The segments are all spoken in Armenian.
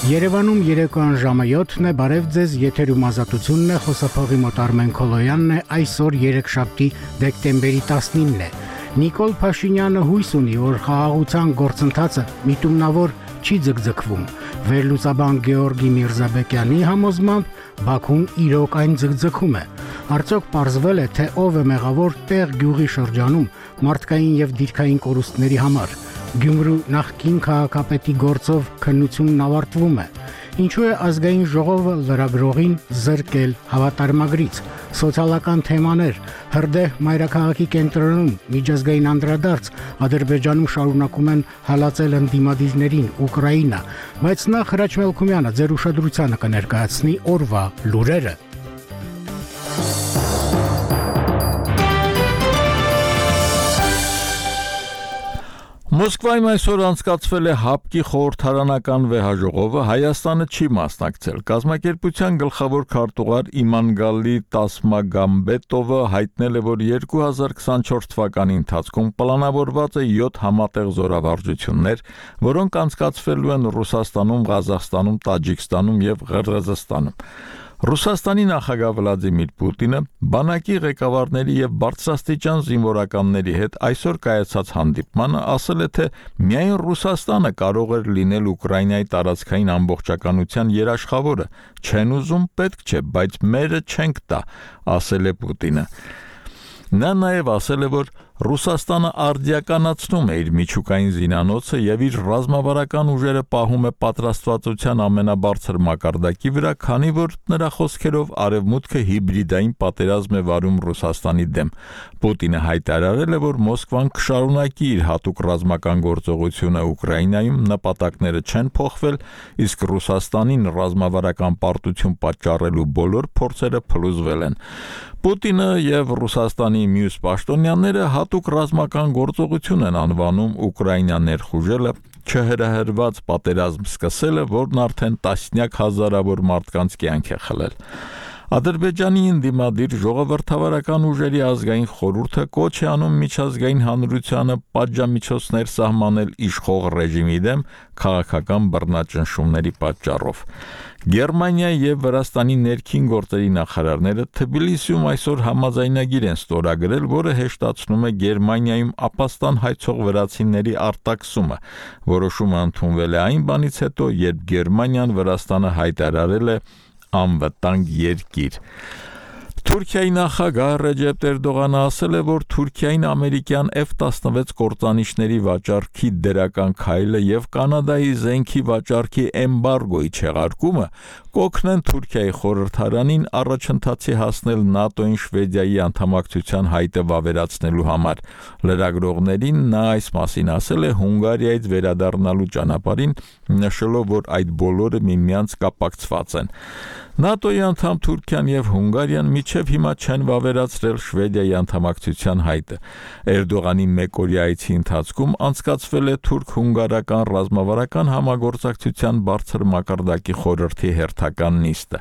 Երևանում երեկոյան ժամը 7-ն է, բարև ձեզ, եթերում ազատությունն է, խոսափողի մոտ Արմեն Քոլոյանն է, այսօր երեքշաբթի դեկտեմբերի 19-ն է։ Նիկոլ Փաշինյանը հույս ունի, որ խաղաղության գործընթացը միտումնավոր չի ձգձգվում։ Վերլուծաբան Գեորգի Միրզաբեկյանի համոզմամբ Բաքուն իրոք այն ձգձգում է։ Արդյոք պարզվել է, թե ով է մեղավոր տեղ գյուղի շրջանում մարդկային եւ դիրքային կորուստների համար։ Գյումրու նախկին քաղաքապետի գործով քննությունն ավարտվում է։ Ինչու է ազգային ժողովը լրագրողին զրկել հավատարմագրից։ Սոցիալական թեմաներ, հրդեհ մայրաքաղաքի կենտրոնում միջազգային անդրադարձ, Ադրբեջանում շարունակում են հալածել ընդդիմադիրներին Ուկրաինա, բայց նախ Հրաչ Մելքումյանը ձեր ուշադրությանը կներկայացնի օրվա լուրերը։ Մոսկվայում այսօր անցկացվել է ՀԱՊԿ-ի խորհրդարանական վեհաժողովը, Հայաստանը չի մասնակցել։ Կազմակերպության գլխավոր քարտուղար Իմանգալի Տասմագամբետովը հայտնել է, որ 2024 թվականի ընթացքում պլանավորված է 7 համատեղ զորավարժություններ, որոնք անցկացվելու են Ռուսաստանում, Ղազախստանում, Տաջիկստանում եւ Ղրղըզստանում։ Ռուսաստանի նախագահ Վլադիմիր Պուտինը բանակի ղեկավարների եւ բարձրաստիճան զինվորականների հետ այսօր կայացած հանդիպմանը ասել է, թե միայն Ռուսաստանը կարող էր լինել Ուկրաինայի տարածքային ամբողջականության երաշխավորը, չեն ուզում, պետք չէ, բայց մերը չենք տա, ասել է Պուտինը։ Նա նաև ասել է, որ Ռուսաստանը արդիականացնում է իր միջուկային զինանոցը եւ իր ռազմավարական ուժերը պահում է պատրաստվածության ամենաբարձր մակարդակի վրա, քանի որ նրա խոսքերով արևմուտքը հիբրիդային պատերազմ է վարում Ռուսաստանի դեմ։ Պուտինը հայտարարել է, որ Մոսկվան կշարունակի իր հատուկ ռազմական գործողությունը Ուկրաինայում, նպատակները չեն փոխվել, իսկ Ռուսաստանին ռազմավարական պարտություն պատճառելու բոլոր փորձերը փլուզվել են։ Պուտինը եւ Ռուսաստանի մյուս պաշտոնյաները հատուկ ռազմական գործողություն են անվանում Ուկրաինա ներխուժելը, չհրահրված պատերազմ սկսելը, որն արդեն տասնյակ հազարավոր մարդկանց կյանք է խլել։ Ադրբեջանի ընդդիմադիր ժողովրդավարական ուժերի ազգային խորհուրդը կոչ է անում միջազգային հանրությանը պատժամիջոցներ սահմանել իշխող ռեժիմի դեմ քաղաքական բռնաճնշումների պատճառով։ Գերմանիայի եւ Վրաստանի ներքին գործերի նախարարները Թբիլիսիում այսօր համաձայնագիր են ստորագրել, որը հեշտացնում է Գերմանիայում ապաստան հայցող վրացիների արտաքսումը։ Որոշումը ընդունվել է այն բանից հետո, երբ Գերմանիան Վրաստանը հայտարարել է անվտանգ երկիր։ Թուրքիայի նախագահ Ռեջեփ Էրդողանը ասել է, որ Թուրքիային ամերիկյան F-16 կործանիչների վաճառքի դրական քայլը եւ Կանադայի զենքի վաճառքի էմբարգոյի չեղարկումը կօգնեն Թուրքիայի խորհրդարանին առաջընթացի հասնել ՆԱՏՕ-ին Շվեդիայի անդամակցության հայտը վավերացնելու համար։ Լրագրողներին նա այս մասին ասել է Հունգարիայից վերադառնալու ճանապարհին, նշելով, որ այդ բոլորը միմյանց կապակցված են։ ՆԱՏՕ-ի անդամ Թուրքիան եւ Հունգարիան մինչեւ հիմա չեն վավերացրել Շվեդիայի անդամակցության հայտը։ Էրդողանի մեկօրյա այցի ընթացքում անցկացվել է թուրք-հունգարական ռազմավարական համագործակցության բարձր մակարդակի խորհրդի հերթական նիստը։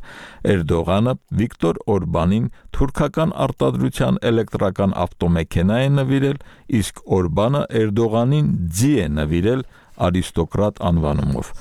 Էրդողանը Վիկտոր Օրբանին թուրքական արտադրության էլեկտրական ավտոմեքենա է նվիրել, իսկ Օրբանը Էրդողանին ձի է նվիրել արիստոկրատ անվանումով։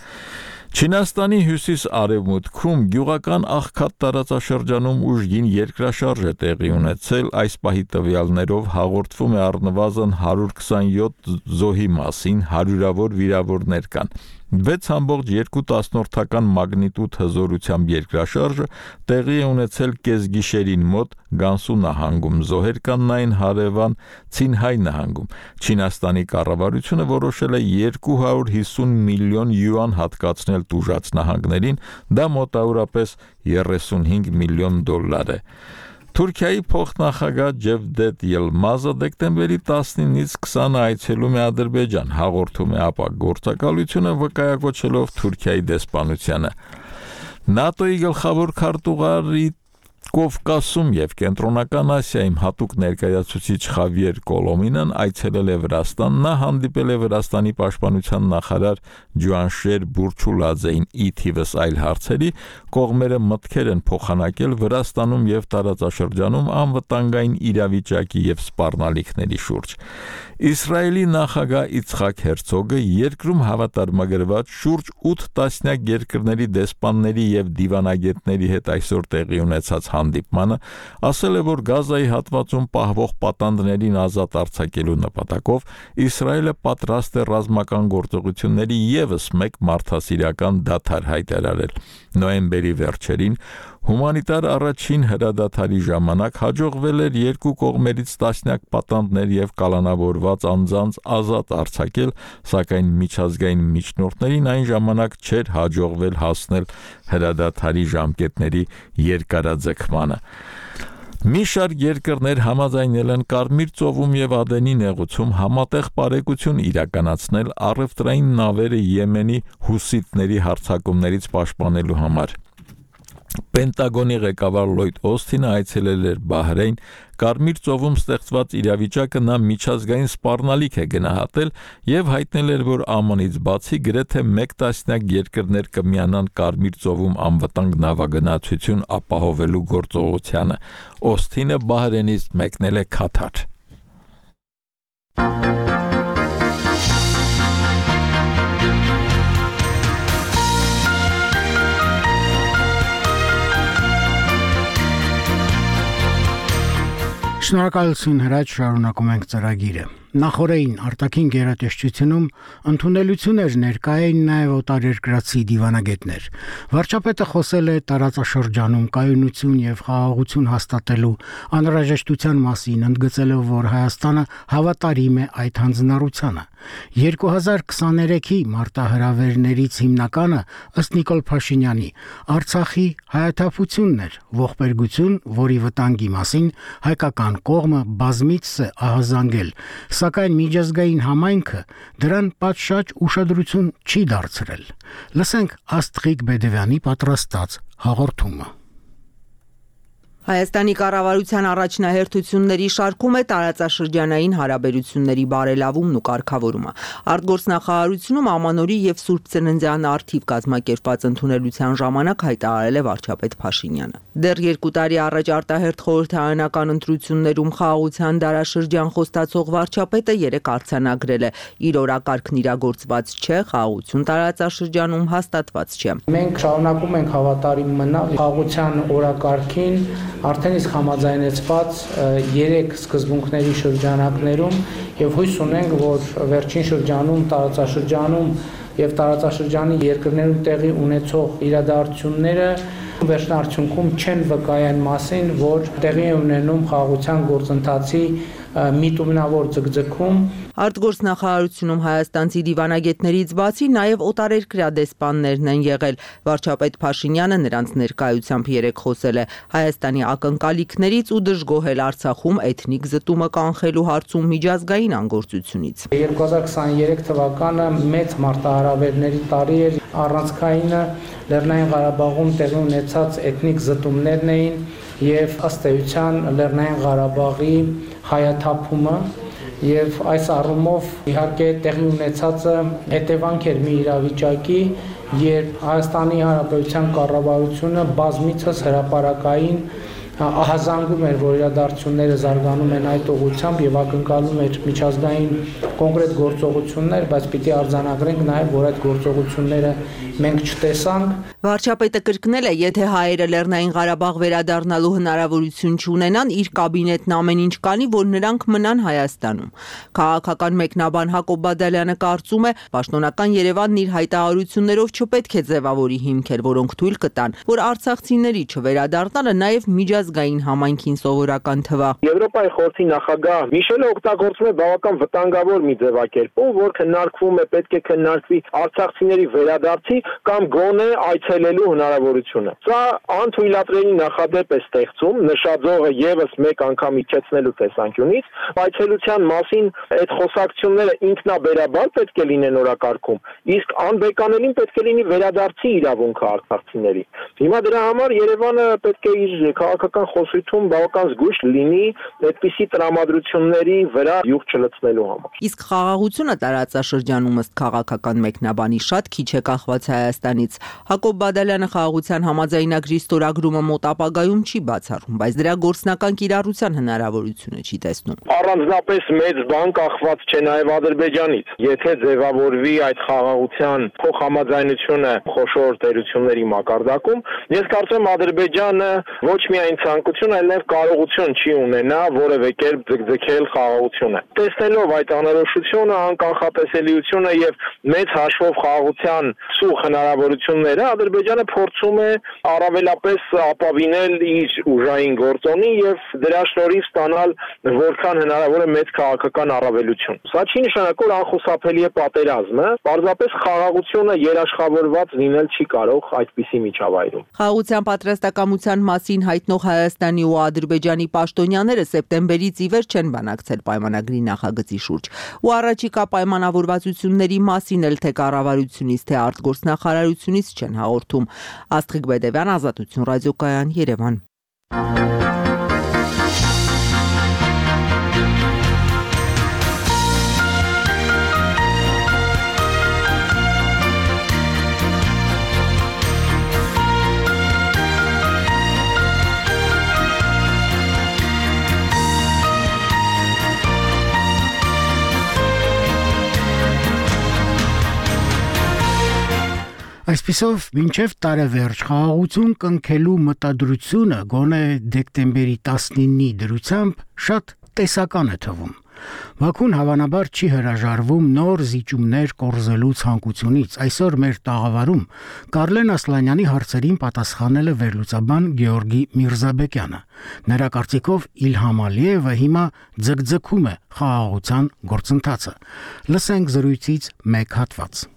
Չինաստանի հյուսիս-արևմուտքում գյուղական աղքատ տարածաշրջանում ուժգին երկրաշարժ է տեղի ունեցել, այս պահի տվյալներով հաղորդվում է առնվազն 127 զոհի մասին, հարյուրավոր վիրավորներ կան։ 6.2 մագնիտուդ հզորությամբ երկրաշարժը տեղի է ունեցել կեսգիշերին մոտ Գանսու նահանգում, զոհեր կան նայն հարևան Ցինհայ նահանգում։ Չինաստանի կառավարությունը որոշել է 250 միլիոն յուան հատկացնել տուժած նահանգներին, դա մոտավորապես 35 միլիոն դոլար է։ Թուրքիայի փոխնախագահ Ջևդետ Ելմազը դեկտեմբերի 19-ից 20-ը այցելում է Ադրբեջան, հաղորդում է ապա գործակալությունը վկայակոչելով Թուրքիայի դեսպանությանը։ ՆԱՏՕ-ի գլխավոր քարտուղարի Կովկասում եւ Կենտրոնական Ասիայում հատուկ ներկայացուցիչ Խավիեր Կոլոմինան այցելել է Վրաստան, նա հանդիպել է Վրաստանի պաշտպանության նախարար Ջուանշեր Բուրչուլաձեին ի թիվս այլ հարցերի, կողմերը մտքեր են փոխանակել Վրաստանում եւ տարածաշրջանում անվտանգային իրավիճակի եւ սպառնալիքների շուրջ։ Իսրայելի նախագահ Իցխակ Հերցոգը երկրում հավատարմագրված շուրջ 8 տասնյակ երկրների դեսպանների եւ դիվանագետների հետ այսօր տեղի ունեցած հանդիպմանը ասել է, որ Գազայի հատվածում պահվող պատանդներին ազատ արձակելու նպատակով Իսրայելը պատրաստ է ռազմական գործողությունների եւս մեկ մարդասիրական դադար հայտարարել։ Նոյեմբերի վերջերին հումանիտար առաջին հրադադարի ժամանակ հաջողվել էր երկու կողմերից տասնյակ պատանդներ եւ կալանավորված անձանց ազատ արձակել, սակայն միջազգային միջնորդներին այն ժամանակ չէր հաջողվել հասնել հրադադարի ժամկետների երկարաձգմանը։ Մի շարք երկրներ համաձայնել են Կարմիր ծովում եւ Ադենի նեղուցում համատեղ բարեկություն իրականացնել առևտրային նավերը Եմենի հուսիտների հարձակումներից պաշտպանելու համար։ Պենտագոնի ղեկավար Լոյդ Օսթինը այցելել էր Բահրեյն, Կարմիր ծովում ստեղծված իրավիճակը նա միջազգային սպառնալիք է գնահատել եւ հայտնել էր, որ ԱՄՆ-ից բացի գրեթե 1 տասնյակ երկրներ կմիանան Կարմիր ծովում անվտանգ նավագնացություն ապահովելու գործողությանը։ Օսթինը Բահրեյնից մեկնել է Քաթար։ Շնորհակալություն հրաչ, շարունակում ենք ծրագիրը։ Նախորդին արտաքին գերատեսչությունում ընդունելություն էր ներկայային նաև օտարերկրացի դիվանագետներ։ Վարչապետը խոսել է տարածաշրջանում կայունություն եւ խաղաղություն հաստատելու անհրաժեշտության մասին, ընդգծելով, որ Հայաստանը հավատարիմ է այդ հանձնառությանը։ 2023-ի մարտահրավերներից հիմնականը, ըստ Նիկոլ Փաշինյանի, Արցախի հայաթափությունն էր, ողբերգություն, որի վտանգի մասին հայկական կողմը բազմիցս է ահազանգել, սակայն միջազգային համայնքը դրան պատշաճ ուշադրություն չի դարձրել։ Լսենք Աստղիկ Բեդևյանի պատրաստած հաղորդումը։ Հայաստանի կառավարության առաջնահերթությունների շարքում է տարածաշրջանային հարաբերությունների բարելավումն ու կարգավորումը։ Արտգործնախարարությունում ամանորի եւ Սուրբ Ծննդյան առթիվ կազմակերպված ընդունելության ժամանակ հայտարարել է վարչապետ Փաշինյանը։ Դեռ 2 տարի առաջ արտահերթ խորհրդարանական ընտրություններում խաղաղության դարաշրջան խոստացող վարչապետը երեք արձանագրել է՝ իր օրակարգն իրագործված չէ, խաղաղություն տարածաշրջանում հաստատված չէ։ Մենք շարունակում ենք հավատարիմ մնալ խաղաղության օրակարգին արդեն իսկ համաձայնեցված 3 սկզբունքների շրջանակներում եւ հույս ունենք, որ վերջին շրջանում տարածաշրջանում եւ տարածաշրջանի երկրներում տեղի ունեցող իրադարձությունները վերջնարդյունքում չեն վկայեն մասին, որ տեղի է ունենում խաղաղության գործընթացի միտումնավոր ձգձգում։ Արտգործնախարարությունում հայաստանցի դիվանագետներից բացի նաև օտարերկրյա դեսպաններն են եղել։ Վարչապետ Փաշինյանը նրանց ներկայությամբ երեկ խոսել է Հայաստանի ակնկալիքներից ու դժգոհել Արցախում էթնիկ զտումը կանխելու հարցում միջազգային անգործությունից։ 2023 թվականը մեծ մարտահրավերների տարի էր, առանցքայինը Լեռնային Ղարաբաղում տեղի ունեցած էթնիկ զտումներն էին եւ ըստ էության Լեռնային Ղարաբաղի հայաթափումը եւ այս առումով իհարկե տեղի ունեցածը հետևանք էր մի իրավիճակի, երբ Հայաստանի Հանրապետության կառավարությունը բազմիցս հրապարակային ահազանգում էր, որ իրադարձությունները զարգանում են այդ ուղղությամբ եւ ակնկալում էր միջազգային կոնկրետ գործողություններ, բայց պիտի արձանագրենք նաեւ, որ այդ գործողությունները մենք չտեսանք։ Վարչապետը կրկնել է, եթե հայերը Լեռնային Ղարաբաղ վերադառնալու հնարավորություն չունենան, իր կաբինետն ամեն ինչ կանի, որ նրանք մնան Հայաստանում։ Քաղաքական մեկնաբան Հակոբ Բադալյանը կարծում է, պաշտոնական Երևանն իր հայտարարություններով չպետք է ձևավորի հիմքեր, որոնք թույլ կտան, որ արցախցիների չվերադառնալը նաեւ միջազգային համայնքին սովորական թվա։ Եվրոպայի խորհրդի նախագահ Միշելը օգտագործում է բավական վտանգավոր մի ձևակերպում, որ քննարկվում է, պետք է քննարկվի արցախցիների վերադարձի կամ գոնե այցելելու հնարավորությունը։ Սա անթույլատրելի նախադեպ է ստեղծում, նշաձողը եւս մեկ անգամ իջեցնելու տեսանկյունից, այցելության մասին այդ խոսակցությունները ինքնաբերաբար պետք է լինեն օրակարգում, իսկ անբեկանելին պետք է լինի վերադարձի իրավունքը արցախցիների։ Հիմա դրա համար Երևանը պետք է իր քաղաքական նախագահական խոսույթում բավական զգույշ լինի այդպիսի տրամադրությունների վրա յուղ չլցնելու համար։ Իսկ խաղաղությունը տարածաշրջանում ըստ քաղաքական մեկնաբանի շատ քիչ է կախված Հայաստանից։ Հակոբ Բադալյանը խաղաղության համաձայնագրի ստորագրումը մոտ ապագայում չի բացառում, բայց դրա գործնական կիրառության հնարավորությունը չի տեսնում։ Առանձնապես մեծ բան կախված չէ նաև Ադրբեջանից։ Եթե ձևավորվի այդ խաղաղության փոխհամաձայնությունը խոշոր տերությունների մակարդակում, ես կարծում եմ Ադրբեջանը ոչ միայն ցանկություն, այլ նաև կարողություն չի ունենա որևէ կերպ ձգձգել խաղաղությունը։ Տեսնելով այդ անորոշությունը, անկանխատեսելիությունը եւ մեծ հաշվով խաղաղության սուղ հնարավորությունները, Ադրբեջանը փորձում է առավելապես ապավինել իր ուժային գործոնի եւ դրա շնորհիվ ստանալ որքան հնարավոր է մեծ քաղաքական առավելություն։ Սա չի նշանակում, որ անխուսափելի է պատերազմը, պարզապես խաղաղությունը երաշխավորված լինել չի կարող այդպիսի միջավայրում։ Խաղաղության պատրաստակամության մասին հայտնող Հայաստանի ու Ադրբեջանի պաշտոնյաները սեպտեմբերից ի վեր չեն բանակցել պայմանագրի նախագծի շուրջ։ Ու առաջիկա պայմանավորվածությունների մասին էլ թե կառավարությունից, թե արտգործնախարարությունից չեն հաղորդում։ Աստղիկ Բեդևյան, Ազատություն ռադիոկայան, Երևան։ Այսպիսով, մինչև տարեվերջ խաղաղություն կնքելու մտադրությունը գոնե դեկտեմբերի 19-ի դրությամբ շատ տեսական է թվում։ Բաքուն հավանաբար չի հրաժարվում նոր զիջումներ կորզելու ցանկությունից։ Այսօր մեր տաղավարում Կարլեն Ասլանյանի հարցերին պատասխանել է վերլուծաբան Գեորգի Միրզաբեկյանը։ Նրա կարծիքով Իլհամ Ալիևը հիմա ձգձգում է խաղաղության գործընթացը։ Լսենք զրույցից մեկ հատված։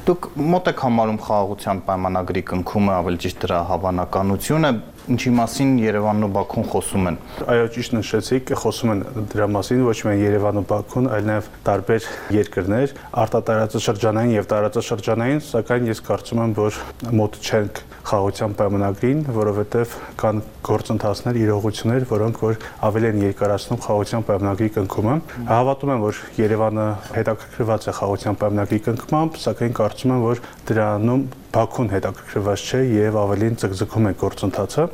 Դուք մոտ եք համարում խաղաղության պայմանագրի կնքումը, ավելի ճիշտ դրա հավանականությունը, ինչի մասին Երևանն ու Բաքուն խոսում են։ Այո, ճիշտ նշեցիք, խոսում են դրա մասին ոչ միայն Երևանն ու Բաքուն, այլ նաև տարբեր երկրներ, արտատարածաշրջանային եւ տարածաշրջանային, սակայն ես կարծում եմ, որ մոտ չենք խաղաղության պայմանագրին, որովհետեւ կան գործընթացներ, իրողություններ, որոնք որ ավելի են երկարացնում խաղաղության պայմանագրի կնքումը։ Հավատում եմ, որ Երևանը հետաքրքրված է խաղաղության պայմանագրի կնքմամբ, սակայն կարծում եմ, որ դրանում Բաքուն հետաքրքրված չէ եւ ավելին ձգձգում է գործընթացը։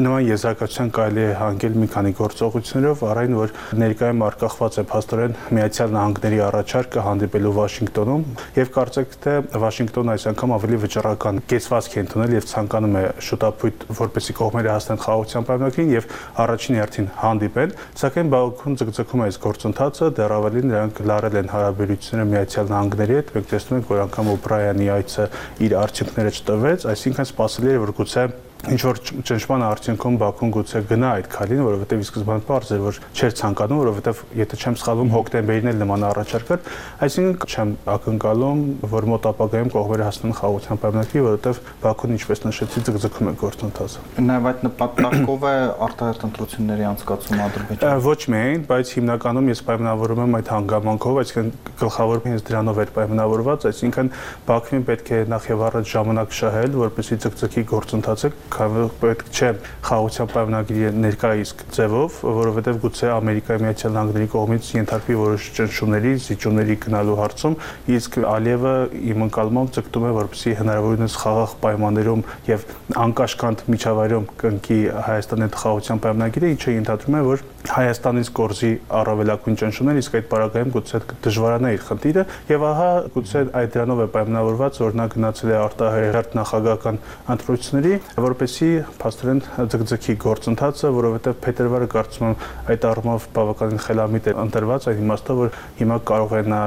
Նման եզրակացության կարելի է հանգել մի քանի գործողություններով, առայն որ ներկայում արկախված է փաստորեն Միացյալ Նահանգների առաջարկը հանդիպելու Վաշինգտոնում եւ կարծեք թե Վաշինգտոնը այս անգամ ավելի վճռական կեցվածք է ընդունել եւ ցանկանում է շուտապույտ որպեսզի կողմերը հասնեն խաղաղության պայմանագրին եւ առաջին հերթին հանդիպեն, սակայն Բաքուն ձգձգում է այս գործընթացը, դեռ ավելին նրանք լարել են հարաբերությունները Միացյալ Նահանգների հետ, մենք տեսնում ենք, որ անգամ Ուկրաինայի այցը իր արդյունքները չտվեց, այսինքն սպասելի էր, որ գուցե ինչ որ ճնշման արդյունքում Բաքուն գուցե գնա այդ քայլին, որովհետև ի սկզբանե պարզ էր, որ չէր ցանկանում, որովհետև եթե չեմ սխալվում հոկտեմբերին էլ նման առաջարկ էր, այսինքն չեմ ակնկալում, որ մոտ ապագայում կողմերը հասնեն խաղաղության պայմանագրի, որովհետև Բաքուն, ինչպես նշեցի, ձգձգում է գործընթացը։ Նաև այդ նպատակով է արտահերթ ընտրությունների անցկացումը Ադրբեջանում։ Ոչ միայն, բայց հիմնականում ես պայմանավորում եմ այդ հանգամանքով, այսինքն գլխավոր հենց դրանով էր պայմանավորված, այսինքն Բաքվին պետք է նախ եւ առաջ ժամանակ շահել, որպեսզի ձգձգի գործընթացը պետք չէ խաղաղության պայմանագրի ներկայիսկ ձևով, որովհետև գուցե Ամերիկայի Միացյալ Նահանգների կողմից ենթարկվի որոշ ճնշումների, զիջումների գնալու հարցում, իսկ Ալիևը իմ ընկալմամբ ձգտում է, որպեսզի հնարավորինս խաղաղ պայմաններում եւ անկաշկանդ միջավայրում կնքի Հայաստանի հետ խաղաղության պայմանագիրը, ինչը ենթադրում է, որ Հայաստանից կորզի առավելագույն ճնշումներ, իսկ այդ պարագայում գուցե դժվարանա իր խնդիրը եւ ահա գուցե այդ դրանով է պայմանավորված, որ նա գնացել է արտահերթ նախագահական ընտրությունների, որպեսզի փաստորեն ձգձգի գործընթացը, որովհետեւ փետրվարը կարծում եմ այդ առումով բավականին խելամիտ է ընտրված, այն իմաստով, որ հիմա կարող է նա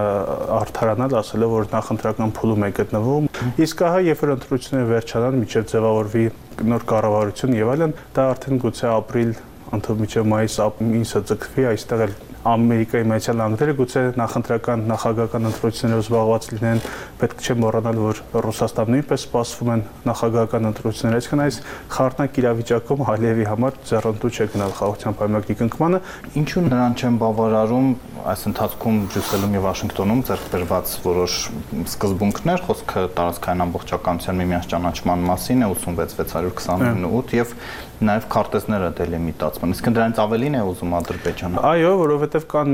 արդարանալ, ասելով, որ նախընտրական փուլում է գտնվում, իսկ ահա երբ որ ընտրությունները վերջանան, մինչեւ ձևավորվի նոր կառավարություն եւ այլն, դա արդեն գուցե ապրիլ ընդհանուր մինչև մայիս ամիսը ձգվի, այստեղ էլ Ամերիկայի Միացյալ Նահանգները գուցե նախընտրական նախագահական ընտրություններով զբաղված լինեն, պետք չէ մոռանալ, որ Ռուսաստանում նույնպես սպասվում են նախագահական ընտրություններ, այսինքն այս խառնակ իրավիճակում Ալիևի համար ձեռնտու չէ գնալ խաղաղության պայմանագրի կնքմանը։ Ինչու նրան չեն բավարարում այս ընթացքում Բրյուսելում եւ Վաշինգտոնում ձեռք բերված որոշ սկզբունքներ, խոսքը տարածքային ամբողջականության միմյանց ճանաչման մասին է 86-629 եւ նաև քարտեզները դելիմիտացման։ Իսկ դրանից ավելին է ուզում Ադրբեջանը։ Այո, որովհետև կան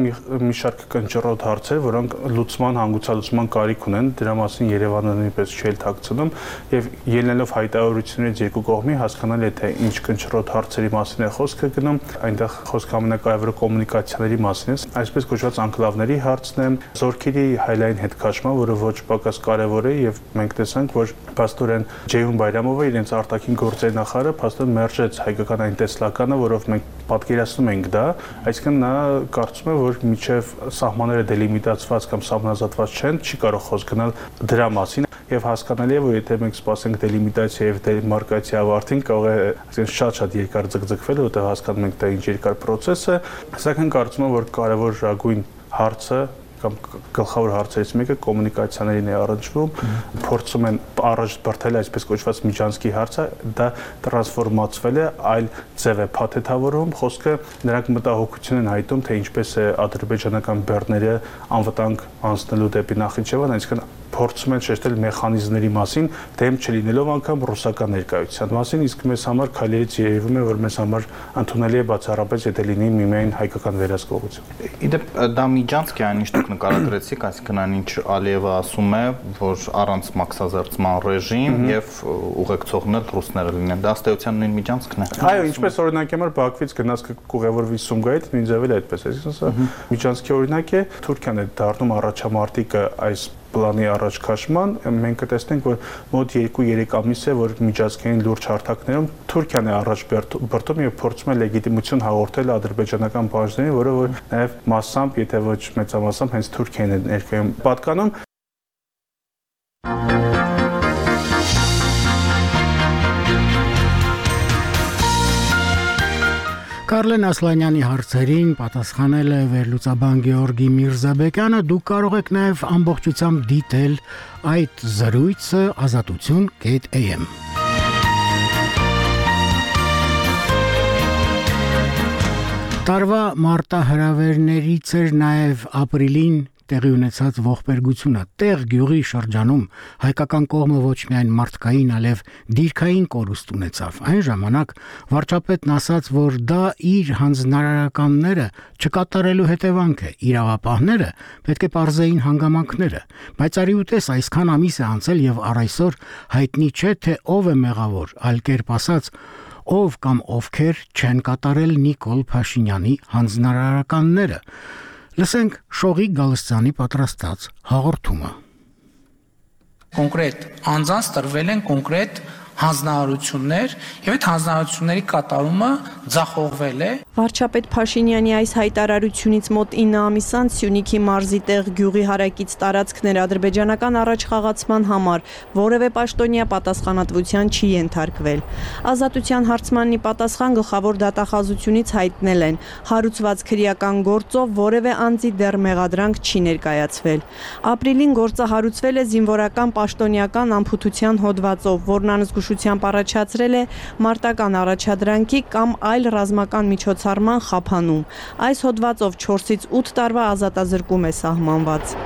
մի շարք կնճռոտ հարցեր, որոնք լուծման, հանգուցալուծման կարիք ունեն, դրա մասին Երևանը նույնպես չի թաքցնում եւ ելնելով հայտարարություններից երկու կողմի հասկանալի է թե ինչ կնճռոտ հարցերի մասին է խոսքը գնում, այնտեղ խոսքը ամենակարևորը կոմունիկացիաների մասին է, այսպես կոչված անկլավների հարցն է, զորքերի հայլային հետքաշման, որը ոչ պակաս կարևոր է եւ մենք տեսանք, որ Պաստորեն Ջեյուն Բայրամովը իրենց արտաքին գործերի նախարարը փաստորեն մերժեց հայկական այն տեսլականը, որով մենք պատկերացնում ենք դա, այսինքն նա կարծում է, որ միջև սահմանները դելիմիտացված կամ սահմանազատված չեն, չի կարող խոսք գնալ դրա մասին եւ հասկանալի է, որ եթե մենք սպասենք դելիմիտացիա եւ դեմարկացիա ավարտին, կարող է այսինքն շատ երկար ձգձգվել, որտեղ հասկանում ենք դա ինչ երկար process է, սակայն կարծում եմ, որ կարևոր հարցը կամ գլխավոր հարցերից մեկը կոմունիկացիաներին է առնչվում, փորձում են առաջ բրթել այսպես կոչված միջանցքի հարցը, դա տրանսֆորմացվել է, այլ ձև է փաթեթավորում, խոսքը նրանք մտահոգություն են հայտում, թե ինչպես է ադրբեջանական բեռները անվտանգ անցնելու դեպի Նախիջևան, այսինքն փորձում են շեշտել մեխանիզմների մասին, դեմ չլինելով անգամ ռուսական ներկայության մասին, իսկ մեզ համար քայլերից երևում է, որ մեզ համար ընդունելի է բացառապես, եթե լինի միմիայն հայկական վերահսկողություն։ Իդեպ դա միջանցք է, այնինչ դուք նկարագրեցիք, այսինքն այնինչ Ալիևը ասում է, որ առանց մաքսազերծման ռեժիմ եւ ուղեկցողն էլ ռուսները լինեն, դա ըստ էության նույն միջանցքն է։ Այո, ինչպես օրինակ համար Բաքվից գնացքը կուղևորվի Սումգայիթ, նույն ձևել է այդպես, այսինքն սա միջանցքի օրինակ է, Թուրքիան է դառնում առաջամարտիկը այս պլանի առաջ քաշման, մենք կտեսնենք, որ մոտ 2-3 ամիս է, որ միջազգային լուրջ հարթակներում Թուրքիան է առաջ բրտում եւ փորձում է լեգիտիմություն հաղորդել ադրբեջանական բաժներին, որը որ նաեւ մասամբ, եթե ոչ մեծամասամբ, հենց Թուրքիան է ներկայում պատկանում։ Կարլեն Ասլանյանի հարցերին պատասխանել է վերլուծաբան Գեորգի Միրզաբեկյանը, դուք կարող եք նաև ամբողջությամբ դիտել այդ զրույցը azatutun.am Տարվա մարտահրավերներից էր նաև ապրիլին տեղի ունեցած ողբերգությունը տեղ գյուղի շրջանում հայկական կողմը ոչ միայն մարդկային, այլև դիրքային կորուստ ունեցավ։ Այն ժամանակ վարչապետն ասաց, որ դա իր հանձնարարականները չկատարելու հետևանք է, իրավապահները պետք է պարզեին հանգամանքները, բայց արի ուտես այսքան ամիս է անցել եւ առ այսօր հայտնի չէ, թե ով է մեղավոր, այլ կերպ ասած, ով կամ ովքեր չեն կատարել Նիկոլ Փաշինյանի հանձնարարականները։ Լսենք Շողիկ Գալստյանի պատրաստած հաղորդումը։ Կոնկրետ անձանց տրվել են կոնկրետ հանձնարարություններ եւ այդ հանձնարարությունների կատարումը ձախողվել է։ Վարչապետ Փաշինյանի այս հայտարարությունից մոտ 9 ամիս անց Սյունիքի մարզի տեղ գյուղի հարակից տարածքներ ադրբեջանական առաջխաղացման համար որևէ պաշտոնյա պատասխանատվության չի ենթարկվել։ Ազատության հարցմանի պատասխան գլխավոր դատախազությունից հայտնել են, հարուցված քրեական գործով որևէ անձի դեռ մեղադրանք չի ներկայացվել։ Ապրիլին գործը հարուցվել է զինվորական պաշտոնյական անփութության հոդվածով, որն անզգուշությամբ առաջացրել է մարտական առաջադրանքի կամ այլ ռազմական միջոցառման խափանում։ Այս հոդվածով 4-ից 8 տարվա ազատազրկում է սահմանված։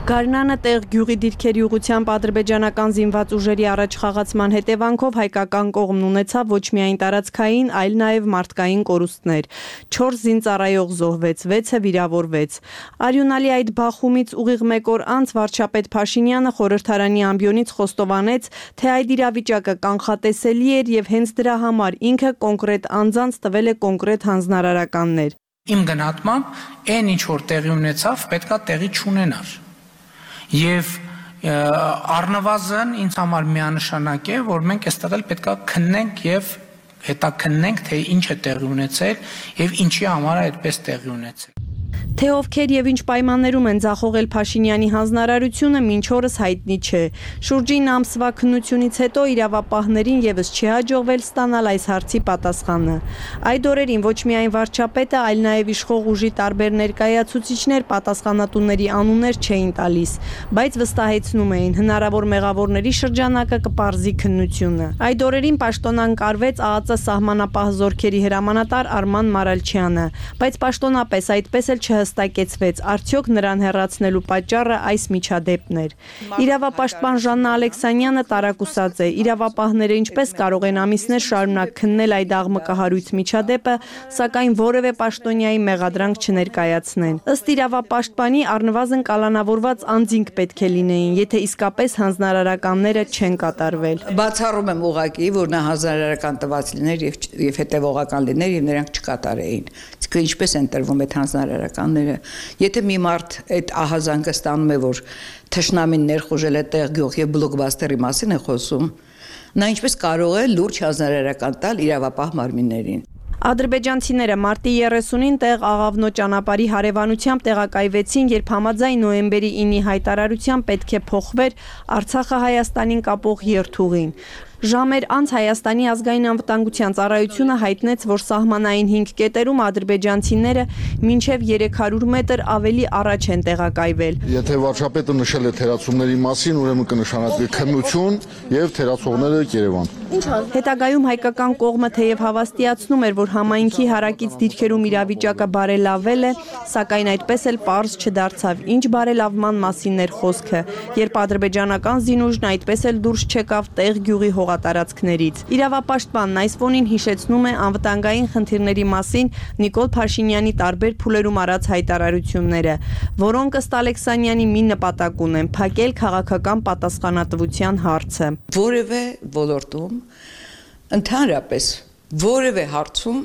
Գարնանը տեղ գյուղի դիրքերի ուղղությամբ ադրբեջանական զինված ուժերի առաջխաղացման հետևանքով հայկական կողմն ունեցավ ոչ միայն տարածքային, այլ նաև մարդկային կորուստներ։ 4 զինծառայող զոհվեց, 6-ը վիրավորվեց։ Արյունալի այդ բախումից ուղիղ 1 օր անց վարչապետ Փաշինյանը խորհրդարանի ամբիոնից խոստովանեց, թե այդ իրավիճակը կանխատեսելի էր եւ հենց դրա համար ինքը կոնկրետ անձանց տվել է կոնկրետ հանձնարարականներ։ Իմ գնահատմամբ, այն ինչ որ տեղի ունեցավ, պետքա տեղի չունենար։ Եվ առնվազն ինձ համար միանշանակ է, որ մենք այստեղ էլ պետքա քննենք եւ հետաքննենք, թե ինչ է տեղի ունեցել եւ ինչի համար է այդպես տեղի ունեցել։ Թե ովքեր եւ ինչ պայմաններում են ձախողել Փաշինյանի հանձնարարությունը, մինչ օրս հայտնի չէ։ Շուրջին ամսվա քննությունից հետո իրավապահներին եւս չի հաջողվել ստանալ այս հարցի պատասխանը։ Այդ օրերին ոչ միայն վարչապետը, այլ նաեւ իշխող ուժի տարբեր ներկայացուցիչներ պատասխանատուների անուններ չէին տալիս, բայց վստահեցնում էին հնարավոր մեղավորների շրջանակը կպարզի քննությունը։ Այդ օրերին պաշտոնան կարվեց ԱԱԾ սահմանապահ զորքերի հրամանատար Արման Մարալչյանը, բայց պաշտոնապես այդպես էլ չհստակեցվեց, արդյոք նրան հեռացնելու պատճառը այս միջադեպն էր։ Իրավապաշտպան Ժաննա Ալեքսանյանը տարակուսած է, իրավապահները ինչպես կարող են ամիսներ շարունակ քննել այդ աղմկահարույց միջադեպը, սակայն որևէ պաշտոնյայի մեղադրանք չներկայացնեն։ Ըստ իրավապաշտպանի առնվազն կալանավորված անձինք պետք է լինեին, եթե իսկապես հանձնարարականները չեն կատարվել։ Բացառում եմ ուղղակի, որ նա հանձնարարական տված լիներ եւ հետեւողական լիներ եւ նրանք չկատարեին։ Իսկ ինչպես են տրվում այդ հանձնարարականները։ Եթե մի մարդ այդ ահազանգը ստանում է, որ թշնամին ներխուժել է տեղ գյուղ եւ բլոկբաստերի մասին է խոսում, նա ինչպես կարող է լուրջ հանձնարարական տալ իրավապահ մարմիններին։ Ադրբեջանցիները մարտի 30-ին տեղ Աղավնո ճանապարհի հարևանությամբ տեղակայվեցին, երբ համաձայն նոյեմբերի 9-ի հայտարարության պետք է փոխվեր Արցախը Հայաստանին կապող երթուղին։ Ժամեր անց Հայաստանի ազգային անվտանգության ծառայությունը հայտնեց, որ սահմանային 5 կետերում ադրբեջանցիները մինչև 300 մետր ավելի առաջ են տեղակայվել։ Եթե վարչապետը նշել է թերացումների մասին, ուրեմն կնշանակվի քննություն եւ թերացողները Երևան։ Հետագայում հայկական կողմը թեև հավաստիացնում էր, որ համայնքի հարակից դիրքերում իրավիճակը բարելավել է, սակայն այդպես էլ պարզ չդարձավ, ինչ բարելավման մասին էր խոսքը, երբ ադրբեջանական զինուժն այդպես էլ դուրս չեկավ տեղ գյուղի հողատարածքներից։ Իրավապաշտպանն այս ֆոնին հիշեցնում է անվտանգային խնդիրների մասին Նիկոլ Փաշինյանի տարբեր փուլերում արած հայտարարությունները, որոնք ըստ Ալեքսանյանի մի նպատակ ունեն՝ փակել քաղաքական պատասխանատվության հարցը։ Որևէ ոլորտում, ընդհանրապես որևէ հարցում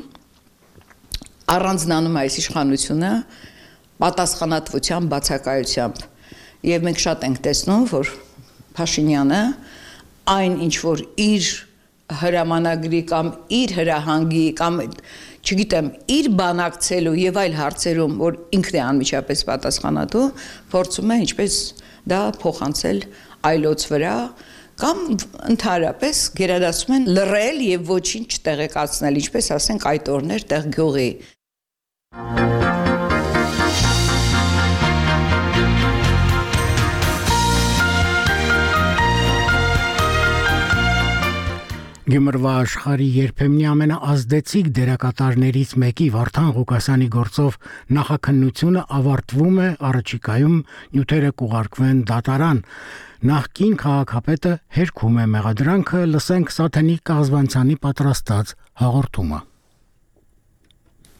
առանձնանում է այս իշխանությունը պատասխանատվության բացակայությամբ։ Եվ մենք շատ ենք տեսնում, որ Փաշինյանը այն ինչ որ իր հրամանագրի կամ իր հրահանգի կամ չգիտեմ իր բանակցելու եւ այլ հարցերում որ ինքն է անմիջապես պատասխանատու փորձում է ինչպես դա փոխանցել այլոց վրա կամ ընդհանրապես գերադասում են լռել եւ ոչինչ չտեղեկացնել ինչպես ասենք այդ օրներ տեղ գյուղի Գյումրվա աշխարհի երբեմնի ամենաազդեցիկ դերակատարներից մեկի Վարդան Ղուկասյանի գործով նախաքննությունը ավարտվում է առաջիկայում նյութերը կուղարկվեն դատարան նախկին քաղաքապետը հերքում է մեղադրանքը լսենք Սաթենիկ Կաղզվանցյանի պատրաստած հաղորդումը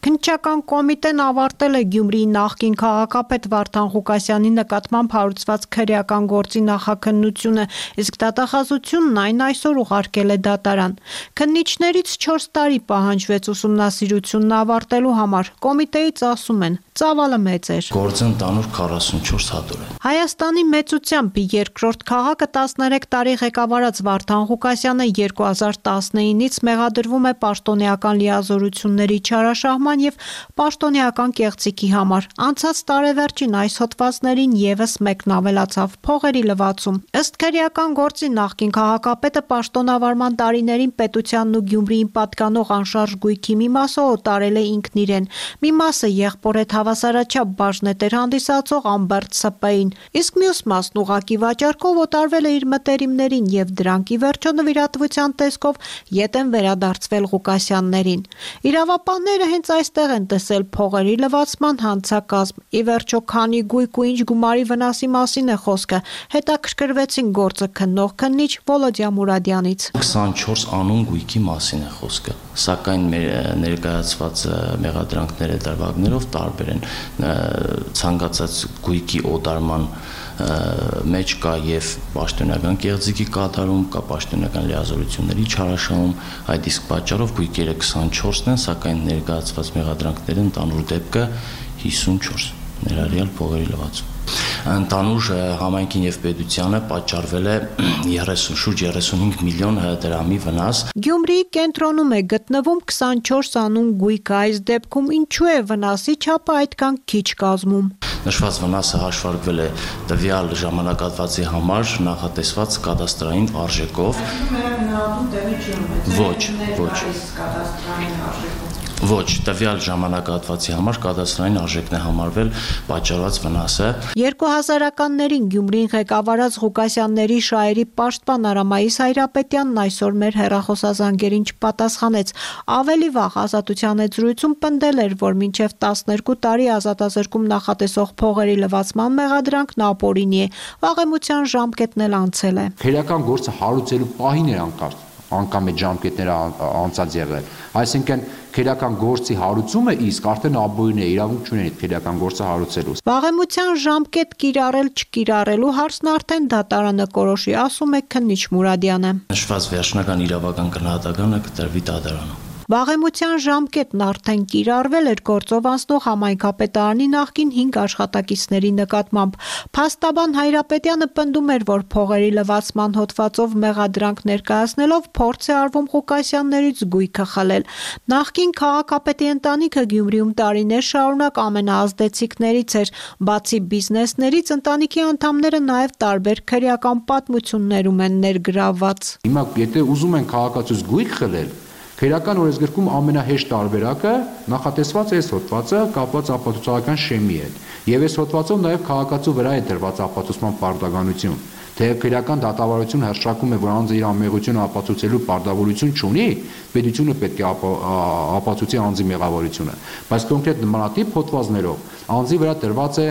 Քննչական կոմիտեն ավարտել է Գյումրիի նախկին քաղաքապետ Վարդան Ղուկասյանի նկատմամբ հարուցված քրեական գործի նախաքննությունը, իսկ դատախազությունն այն այսօր ուղարկել է դատարան։ Քննիչներից 4 տարի պահանջվեց ուսումնասիրությունն ավարտելու համար։ Կոմիտեից ասում են, ծավալը մեծ էր։ Գործը ընդանուր 44 հատոր է։ Հայաստանի մեծությամբ երկրորդ քաղաքը 13 տարի ղեկավարած Վարդան Ղուկասյանը 2019-ից մեղադրվում է պաշտոնեական լիազորությունների չարաշահման եւ պաշտոնեական կեղծիքի համար։ Անցած տարեվերջին այս հոդվածներին եւս մեկն ավելացավ՝ փողերի լվացում։ Ըստ քրեական գործի նախկին քաղաքապետը պաշտոնավարման տարիներին պետությանն ու Գյումրիին պատկանող անշարժ գույքի մի մասը օտարել է ինքն իրեն։ Մի մասը եղբոր հետ հավասարաչափ բաժնետեր հանդիսացող Ամբերտ ՍՊ-ին, իսկ մյուս մասն ուղղակի վաճառքով օտարվել է իր մտերիմներին եւ դրանք ի վերջո նվիրատվության տեսքով ետ են վերադարձվել Ղուկասյաններին։ Իրավապահները հենց այստեղ են տեսել փողերի լվացման հանցակազմ։ Ի վերջո քանի գույք ու ինչ գումարի վնասի մասին է խոսքը, հետաքրքրվեցին գործը քննող քննիչ Վոլոդիա Մուրադյանից։ 24 անուն գույքի մասին է խոսքը, սակայն ներկայացված մեղադրանքները դրվագներով տարբեր են։ Ցանկացած գույքի օտարման մեջ կա եւ պաշտոնական կեղծիքի կատարում, կա պաշտոնական լիազորությունների չարաշահում, այդ իսկ պատճառով գույքերը 24-ն են, սակայն ներկայացված մեղադրանքները ընդանուր դեպքը 54, ներառյալ փողերի լվացում։ Ընդանուր համայնքին եւ պետությանը պատճառվել է շուրջ 35 միլիոն դրամի վնաս։ Գյումրիի կենտրոնում է գտնվում 24 անուն գույք, այս դեպքում ինչու է վնասի չափը այդքան քիչ կազմում։ Նշված վնասը հաշվարկվել է տվյալ ժամանակահատվածի համար նախատեսված կադաստրային արժեքով։ Ոչ, տվյալ ժամանակահատվածի համար կադաստրային արժեքն է համարվել պատճառված վնասը։ 2000-ականներին Գյումրին ղեկավարած Ղուկասյանների շահերի պաշտպան Արամայիս Հայրապետյանն այսօր մեր հեռախոսազանգերին չպատասխանեց։ Ավելի վաղ Ազատության զրույցում պնդել էր, որ մինչև 12 տարի ազատազրկում նախատեսող փողերի լվացման մեղադրանքն ապօրինի է։ Վաղեմության ժամկետն էլ անցել է։ Քրեական գործը հարուցելու պահին էր անգամ այդ ժամկետները անցած եղել։ Այսինքն քրեական գործի հարուցումը իսկ արդեն ապօրին է, իրավունք չունեն այդ քրեական գործը հարուցելու։ Վաղեմության ժամկետ կիրառել չկիրառելու հարցն արդեն դատարանը կորոշի, ասում է քննիչ Մուրադյանը։ Նշված վերջնական իրավական գնահատականը կտրվի դատարանում։ Վաղեմության ժամկետն արդեն կիրառվել էր գործով անցնող համայնքապետարանի նախկին 5 աշխատակիցների նկատմամբ։ Փաստաբան Հայրապետյանը պնդում էր, որ փողերի լվացման հոդվածով մեղադրանք ներկայացնելով փորձ է արվում Ղուկասյաններից գույքը խլել։ Նախկին քաղաքապետի ընտանիքը Գյումրիում տարիներ շարունակ ամենաազդեցիկներից էր։ Բացի բիզնեսներից, ընտանիքի անդամները նաև տարբեր քրեական պատմություններում են ներգրավված։ Հիմա եթե ուզում են քաղաքացուց գույք խլել, քրեական օրենսգրքում ամենահեշտ տարբերակը նախատեսված է այս հոդվածը կապված ապացուցողական շեմի հետ։ Եվ այս հոդվածով նաև քաղաքացու վրա է դրված ապացուցման պարտականություն։ Թեև քրեական դատավարությունը հռչակում է, որ անձը իր ամեղությունը ապացուցելու պարտավորություն չունի, պետությունը պետք է ապացուցի անձի մեղավորությունը։ Բայց կոնկրետ նմանատիպ հոդվածներով անձի վրա դրված է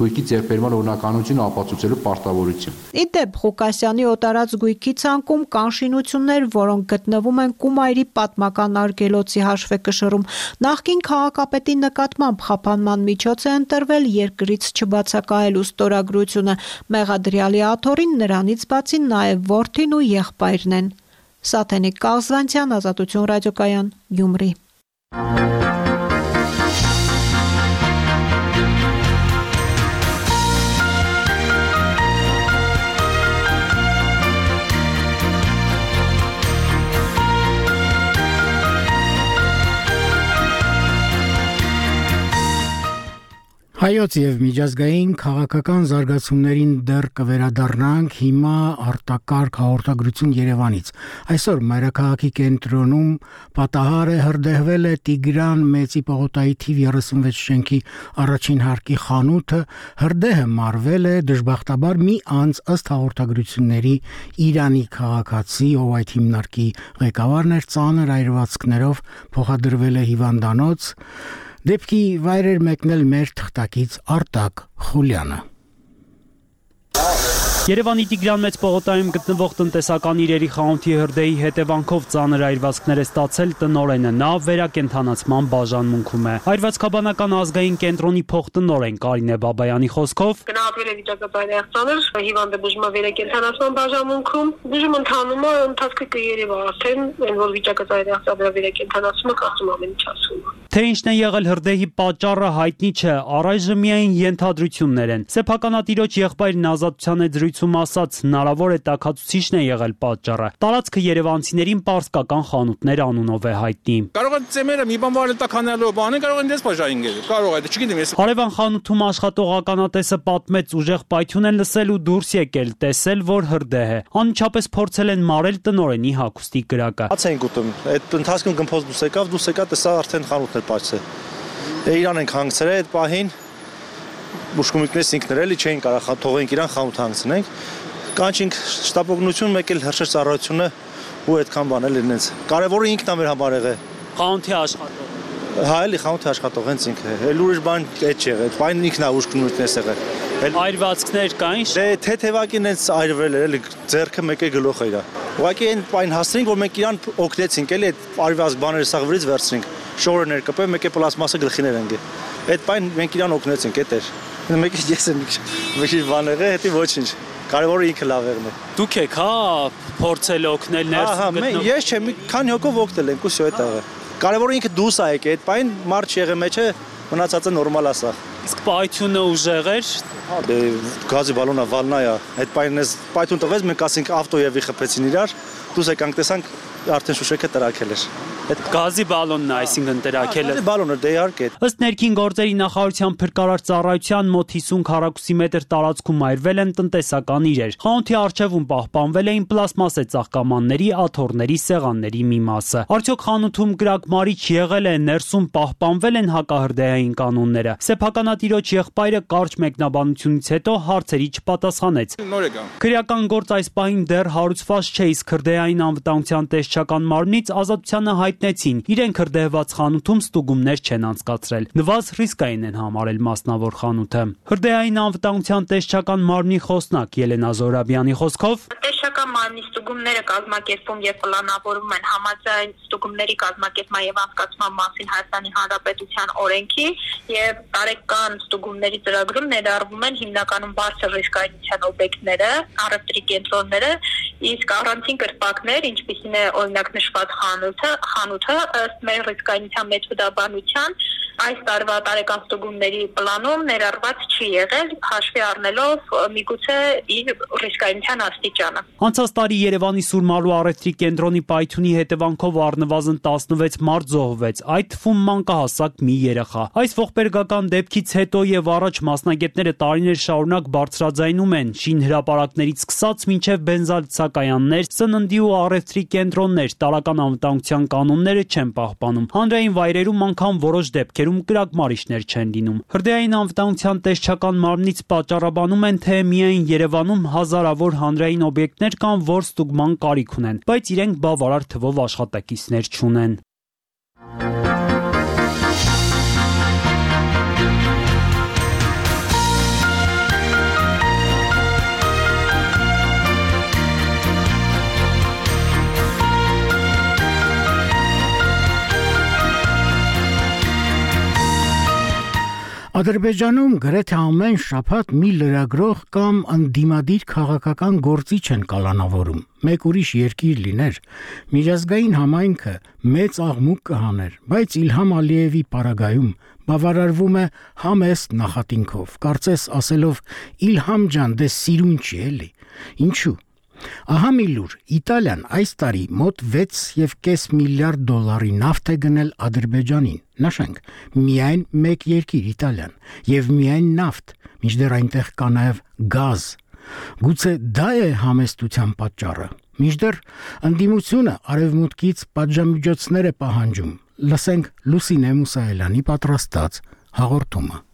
գույքի ձեռքբերման օրինականությունը ապացուցելու պարտավորություն։ Ի դեպ, Ղուկասյանի օտարած գույքի ցանկում կան շինություններ, որոնք գտնվում են Կումայրի պատմական արգելոցի հաշվեկշռում։ Նախկին քաղաքապետի նկատմամբ խափանման միջոց է ընտրվել երկրից չբացակայելու ստորագրությունը։ Մեղադրյալի աթոռին նրանից բացի նաև որդին ու եղբայրն են։ Սաթենիկ Կազվանցյան, Ազատություն ռադիոկայան, Գյումրի։ Հայոց եւ միջազգային քաղաքական զարգացումներին դեռ կվերադառնանք հիմա արտակարգ հաղորդագրություն Երևանից։ Այսօր մայրաքաղաքի կենտրոնում պատահար է հրդեհվել է Տիգրան Մեծի պողոտայի թիվ 36 շենքի առաջին հարկի խանութը, հրդեհը մարվել է դժբախտաբար մի անձ ըստ հաղորդագրությունների Իրանի քաղաքացի, ով այդ հիմնարկի ղեկավարն էր, ծանր այրվածքներով փոխադրվել է հիվանդանոց։ Դեպքի վայրեր մեկնել մեր թղթակից Արտակ Խուլյանը։ Երևանի Տիգրան Մեծ պողոտայում գտնվող տնտեսական իրերի խանութի հրդեհի հետևանքով ծանր այրվածքներ է ստացել տնօրենը, նա վերակենդանացման բաժանմունքում է։ Այրվածքաբանական ազգային կենտրոնի փոխտնօրեն Կարինե Բաբայանի խոսքով գնահատվել է վիճակը ծայրահեղձանալ, հիվանդը բուժվում է վերակենդանացման բաժանմունքում, բուժումը ընթանում է, ընթացքը կերևա արդեն, այն որ վիճակը ծայրահեղձաբար վերակենդանացումը կարծում ամեն ինչ ասում է։ Թե ինչն է եղել հրդեհի պատճառը հայտնի չէ, առայժմ միայն ենթադրություններ են։ Սեփականատիրոջ եղբայրն Ազատության զրույցում ասաց, հնարավոր է տաքացուցիչն է եղել պատճառը։ Տարածքը երևանցիներին պարսկական խանութներ անունով է հայտնի։ Կարող է ծեմերը մի բան վարել տականալով բանը, կարող են դες բաժային գել։ Կարող է, չգիտեմ ես։ Հարևան խանութում աշխատող ականատեսը պատմեց, ուժեղ պայթյուն են լսել ու դուրս եկել, տեսել, որ հրդեհ է։ Անմիջապես փորձել են մարել տնօրենի հագուստի կրակը։ Հաց են գուտում։ Այդ ընթացքում գմփոց դուս եկավ, տեսա արդեն խանութն է պայծել։ Իրան ենք հանգցրել այդ պահին։ Բուժկոմիկներս ինքներ էլի չէին կարող թողենք իրան խանութ հանգցնենք։ Կանչինք շտապօգնություն, մեկ էլ հրշեջ ծառայությունը ու այդքան բան էլ ինձ։ Կարևորը ինքն է մեր համար եղել։ Խանութի աշխատող։ Հա, էլի խանութի աշխատող հենց ինքը։ Էլ ուրիշ բան այդ չէ եղել։ Բան ինքն է բուժկոմիկներս եղել։ Այրվածքներ կային։ Դե թեթևակին հենց այրվել էր, էլի ձեռքը մեկ է գլուխը իրա։ Ուղղակի այն պայն հասցրինք, որ մենք իրան օգնեցինք, էլի այդ այրվածք բաները սա վրից վերցրինք։ Շորը ներկպել, մեկ է պլաստմասը գլխիներ ընկել։ Այդ պայն մենք իրան օգնեցինք, էդ էր։ Մեկը ես եմ մի քիչ բան եղել, հետի ոչինչ։ Կարևորը ինքը լավ եղն է։ Դուք եք, հա, փորձել օգնել ներսում գտնող։ Ես չէ, մի քանի հոգով օգնել ենք ու սյո այդ աղը։ Կարևորը ինքը դուս է եկել, այդ պայն մարդ չեղե մեջը մնացածը նորմալ է սա։ Իսկ պայթյունը ուժեղ էր։ Հա, դե գազի բալոնը վալնա է։ Այդ պայնից պայթուն տվեց, մենք ասենք ավտոյևի խփեցին իրար, դուս եկանք տեսանք արդեն շուշեկը տրակել էր։ Այդ գազի բալոնն է, այսինքն տրակել է։ Գազի բալոնը դե իհարկե։ Ըստ ներքին գործերի նախարարության փրկարար ծառայության մոտ 50 քառակուսի մետր տարածքում այրվել են տնտեսական իրեր։ Խանութի առջևում պահպանվել էին պլաստմասե ծաղկամանների, աթոռների, սեղանների մի մասը։ Արդյոք խանութում կրակմարիչ եղել է, ներսում պահպանվել են հակահրդեհային կանոնները։ Սեփականատիրոջ եղբայրը կարճ մեկնաբանությունից հետո հարցերի չպատասխանեց։ Քրեական գործ այս պահին դեռ հարուցված չէ, իսկ հրդեհային անվտանգության տեսչական մարմնից ազատությանը հայտնեցին, իրենք հրդեհված խանութում ստուգումներ չեն անցկացրել։ Նվազ ռիսկային են համարել մասնավոր խանութը։ Հրդեհային անվտանգության տեսչական մարմնի խոսնակ Ելենա Զորաբյանի խոսքով Տեսչական մարմնի ստուգումները կազմակերպում եւ պլանավորվում են համաձայն ստուգումների կազմակերպման եւ անցկացման մասին Հայաստանի Հանրապետության օրենքի եւ տարեկան ստուգումների ծրագրում ներառվում են հիմնականում բարձր ռիսկայնության օբյեկտները, առևտրի կենտրոնները, իսկ առանցին կրպակներ, ինչպիսին է օրինակ նշված խանութը ըստ մեր ռիսկայնության մեթոդաբանության այս տարվա տարեկան ստուգումների պլանում ներառված չի եղել, հաշվի առնելով միգուցե իր ռիսկայնության աստիճանը։ Անցած տարի Երևանի Սուրմալու առևտրի կենտրոնի պայթյունի հետևանքով առնվազն 16 մարդ զոհվեց, այդ թվում մանկահասակ մի երեխա։ Այս ողբերգական դեպքից հետո եւ առաջ մասնագետները տարիներ շարունակ բարձրաձայնում են շինհրապարակներից սկսած մինչեւ բենզալցակայաններ, սննդի ու առևտրի կենտրոններ տարական անվտանգության կանոնները չեն պահպանում։ Հանրային վայրերում անգամ որոշ դեպքերում կրակմարիչներ չեն լինում։ Հրդեհային անվտանգության տեսչական մարմնից պատճառաբանում են, թե միայն Երևանում հազարավոր հանրային օբյեկտներ կան, որ ստուգման կարիք ունեն, բայց իրենք բավարար թվով աշխատակիցներ չունեն։ Ադրբեջանում գրեթե ամեն շաբաթ մի լրագրող կամ ընդդիմադիր քաղաքական գործիչ են կալանավորում։ Մեկ ուրիշ երկիր լիներ, միջազգային համայնքը մեծ աղմուկ կհաներ, բայց Իլհամ Ալիևի պարագայում բավարարվում է համեստ նախատինքով, կարծես ասելով Իլհամ ջան, դե սիրուն չի էլի։ Ինչու՞։ Ահա մի լուր, Իտալիան այս տարի մոտ 6.5 միլիարդ դոլարի նավթ է գնել Ադրբեջանին։ Նշենք, միայն մեկ երկիր Իտալիան, եւ միայն նավթ, մինչդեռ այնտեղ կա նաեւ գազ։ Գուցե դա է համեստության պատճառը։ Մինչդեռ ընդդիմությունը արևմուտքից պատժամիջոցներ է պահանջում։ Լսենք Լուսինե Մուսայելյանի պատրաստած հաղորդումը։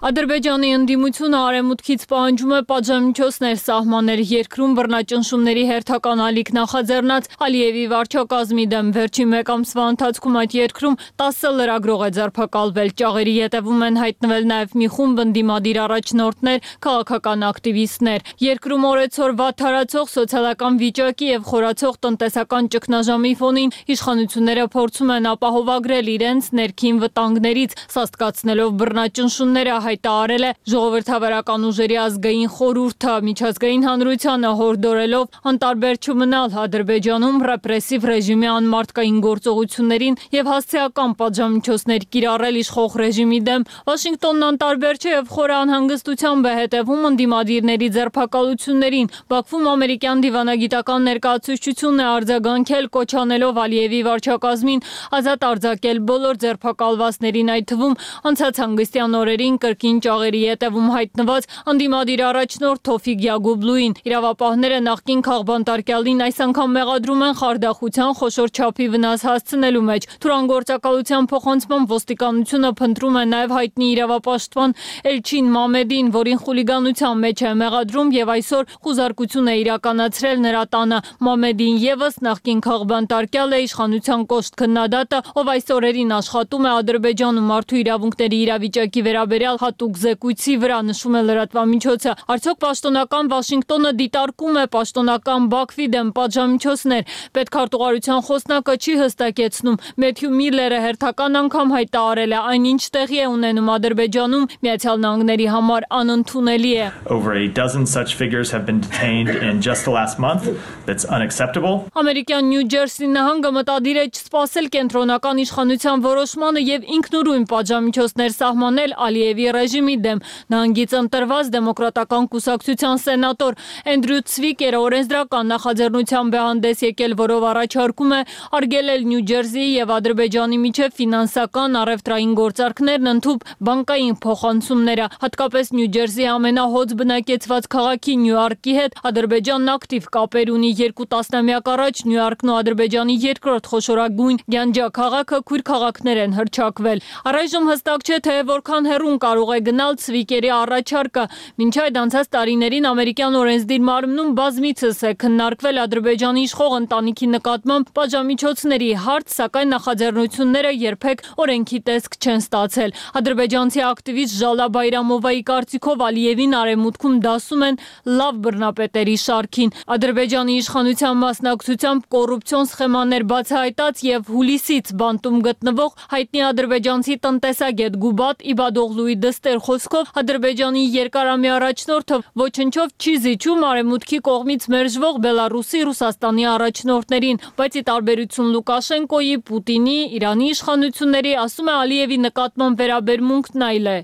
Ադրբեջանի ընդդիմությունը արևմուտքից պահանջում է պատժամիջոցներ սահմանել երկրում բռնաճնշումների հերթական ալիք նախաձեռնած Ալիևի վարչակազմի դեմ։ Վերջին մեկ ամսվա ընթացքում այդ երկրում 10 լրագրող է ձերբակալվել։ Ճաղերի ետևում են հայտնվել նաև մի խումբ ընդդիմադիր առաջնորդներ, քաղաքական ակտիվիստներ։ Երկրում օրեցօր վատթարացող սոցիալական վիճակի եւ խորացող տնտեսական ճգնաժամի ֆոնին իշխանությունները փորձում են ապահովագրել իրենց ներքին վտանգներից, սաստկացնելով բռնաճնշումները հայտարարել է Ժողովրդավարական ուժերի ազգային խորհուրդը, միջազգային հանրությանը հորդորելով անտարբեր չմնալ Ադրբեջանում ռեպրեսիվ ռեժիմի անմարդկային գործողություններին եւ հասցեական պատժամիջոցներ կիրառել իշխող ռեժիմի դեմ։ Վաշինգտոնն անտարբեր չէ եւ խորը անհանգստությամբ է հետևում ընդդիմադիրների ձերբակալություններին։ Բաքվում ամերիկյան դիվանագիտական ներկայացուցչությունն է արձագանքել, կոչ անելով Ալիևի վարչակազմին ազատ արձակել բոլոր ձերբակալվածներին, այդ թվում անցած հանգստյան օրերին կրկին ճաղերի ետևում հայտնված ընդդիմադիր առաջնորդ Թոֆիկ Յագուբլուին։ Իրավապահները նախկին քաղբանտարկյալին այս անգամ մեղադրում են խարդախության խոշոր չափի վնաս հասցնելու մեջ։ Թուրանգործակալության փոխանցման ոստիկանությունը փնտրում է նաև հայտնի իրավապաշտպան Էլչին Մամեդին, որին խուլիգանության մեջ է մեղադրում եւ այսօր խուզարկություն է իրականացրել նրա տանը։ Մամեդին եւս նախկին քաղբանտարկյալ է, իշխանության կոշտ քննադատը, ով այս օրերին աշխատում է Ադրբեջանում մարդու իրավունքների իրավիճակի վերաբերյալ հատուկ զեկույցի վրա, նշում է լրատվամիջոցը։ Արդյոք պաշտոնական Վաշինգտոնը դիտարկում է պաշտոնական Բաքվի դեմ պատժամիջոցներ։ Պետքարտուղարության խոսնակը չի հստակեցնում։ Մեթյու Միլլերը հերթական անգամ հայտարարել է, այնինչ տեղի է ունենում Ադրբեջանում, Միացյալ Նահանգների համար անընդունելի է։ Over a dozen such figures have been detained in just the last month. That's unacceptable. Ամերիկյան Նյու Ջերսի նահանգը մտադիր է չսպասել կենտրոնական իշխանության որոշմանը եւ ինքնուրույն պատժամիջոցներ սահմանել Ալիևի ռեժիմի դեմ։ Նահանգից ընտրված դեմոկրատական կուսակցության սենատոր Էնդրյու Ցվիկերը օրենսդրական նախաձեռնությամբ է հանդես եկել, որով առաջարկում է արգելել Նյու Ջերսիի եւ Ադրբեջանի միջև ֆինանսական առևտրային գործարքներն ընդհուպ բանկային փոխանցումները, հատկապես Նյու Ջերսիի ամենահոծ բնակեցված քաղաքի Նյույորքի հետ Ադրբեջանն ակտիվ կապեր ունի։ 2 տասնամյակ առաջ Նյույորքն ու Ադրբեջանի երկրորդ խոշորագույն Գյանջա քաղաքը քույր քաղաքներ են հռչակվել։ Առայժմ հստակ չէ, թե որքան հեռուն կարող է գնալ Ցվիկերի առաջարկը։ Մինչ այդ անցած տարիներին ամերիկյան օրենսդիր մարմնում բազմիցս է քննարկվել Ադրբեջանի իշխող ընտանիքի նկատմամբ պատժամիջոցների հարց, սակայն նախաձեռնությունները երբեք օրենքի տեսք չեն ստացել։ Ադրբեջանցի ակտիվիստ Ժալա Բայրամովայի կարծիքով Ալիևին արևմուտքում դասում են լավ բռնապետերի շարքին։ Ադրբեջանի իշխանության մասնակցությամբ կոռուպցիոն սխեմաներ բացահայտած եւ հուլիսից բանտում գտնվող հայտնի ադրբեջանցի տնտեսագետ Գուբատ Իբադօղլուի դստեր խոսքով Ադրբեջանի երկարամյա առաջնորդը ոչնչով չի զիջում արևմուտքի կողմից մերժվող Բելարուսի, Ռուսաստանի առաջնորդներին, բայց ի տարբերություն Լուկաշենկոյի, Պուտինի, Իրանի իշխանությունների, ասում է Ալիևի նկատմամբ վերաբերմունքն այլ է։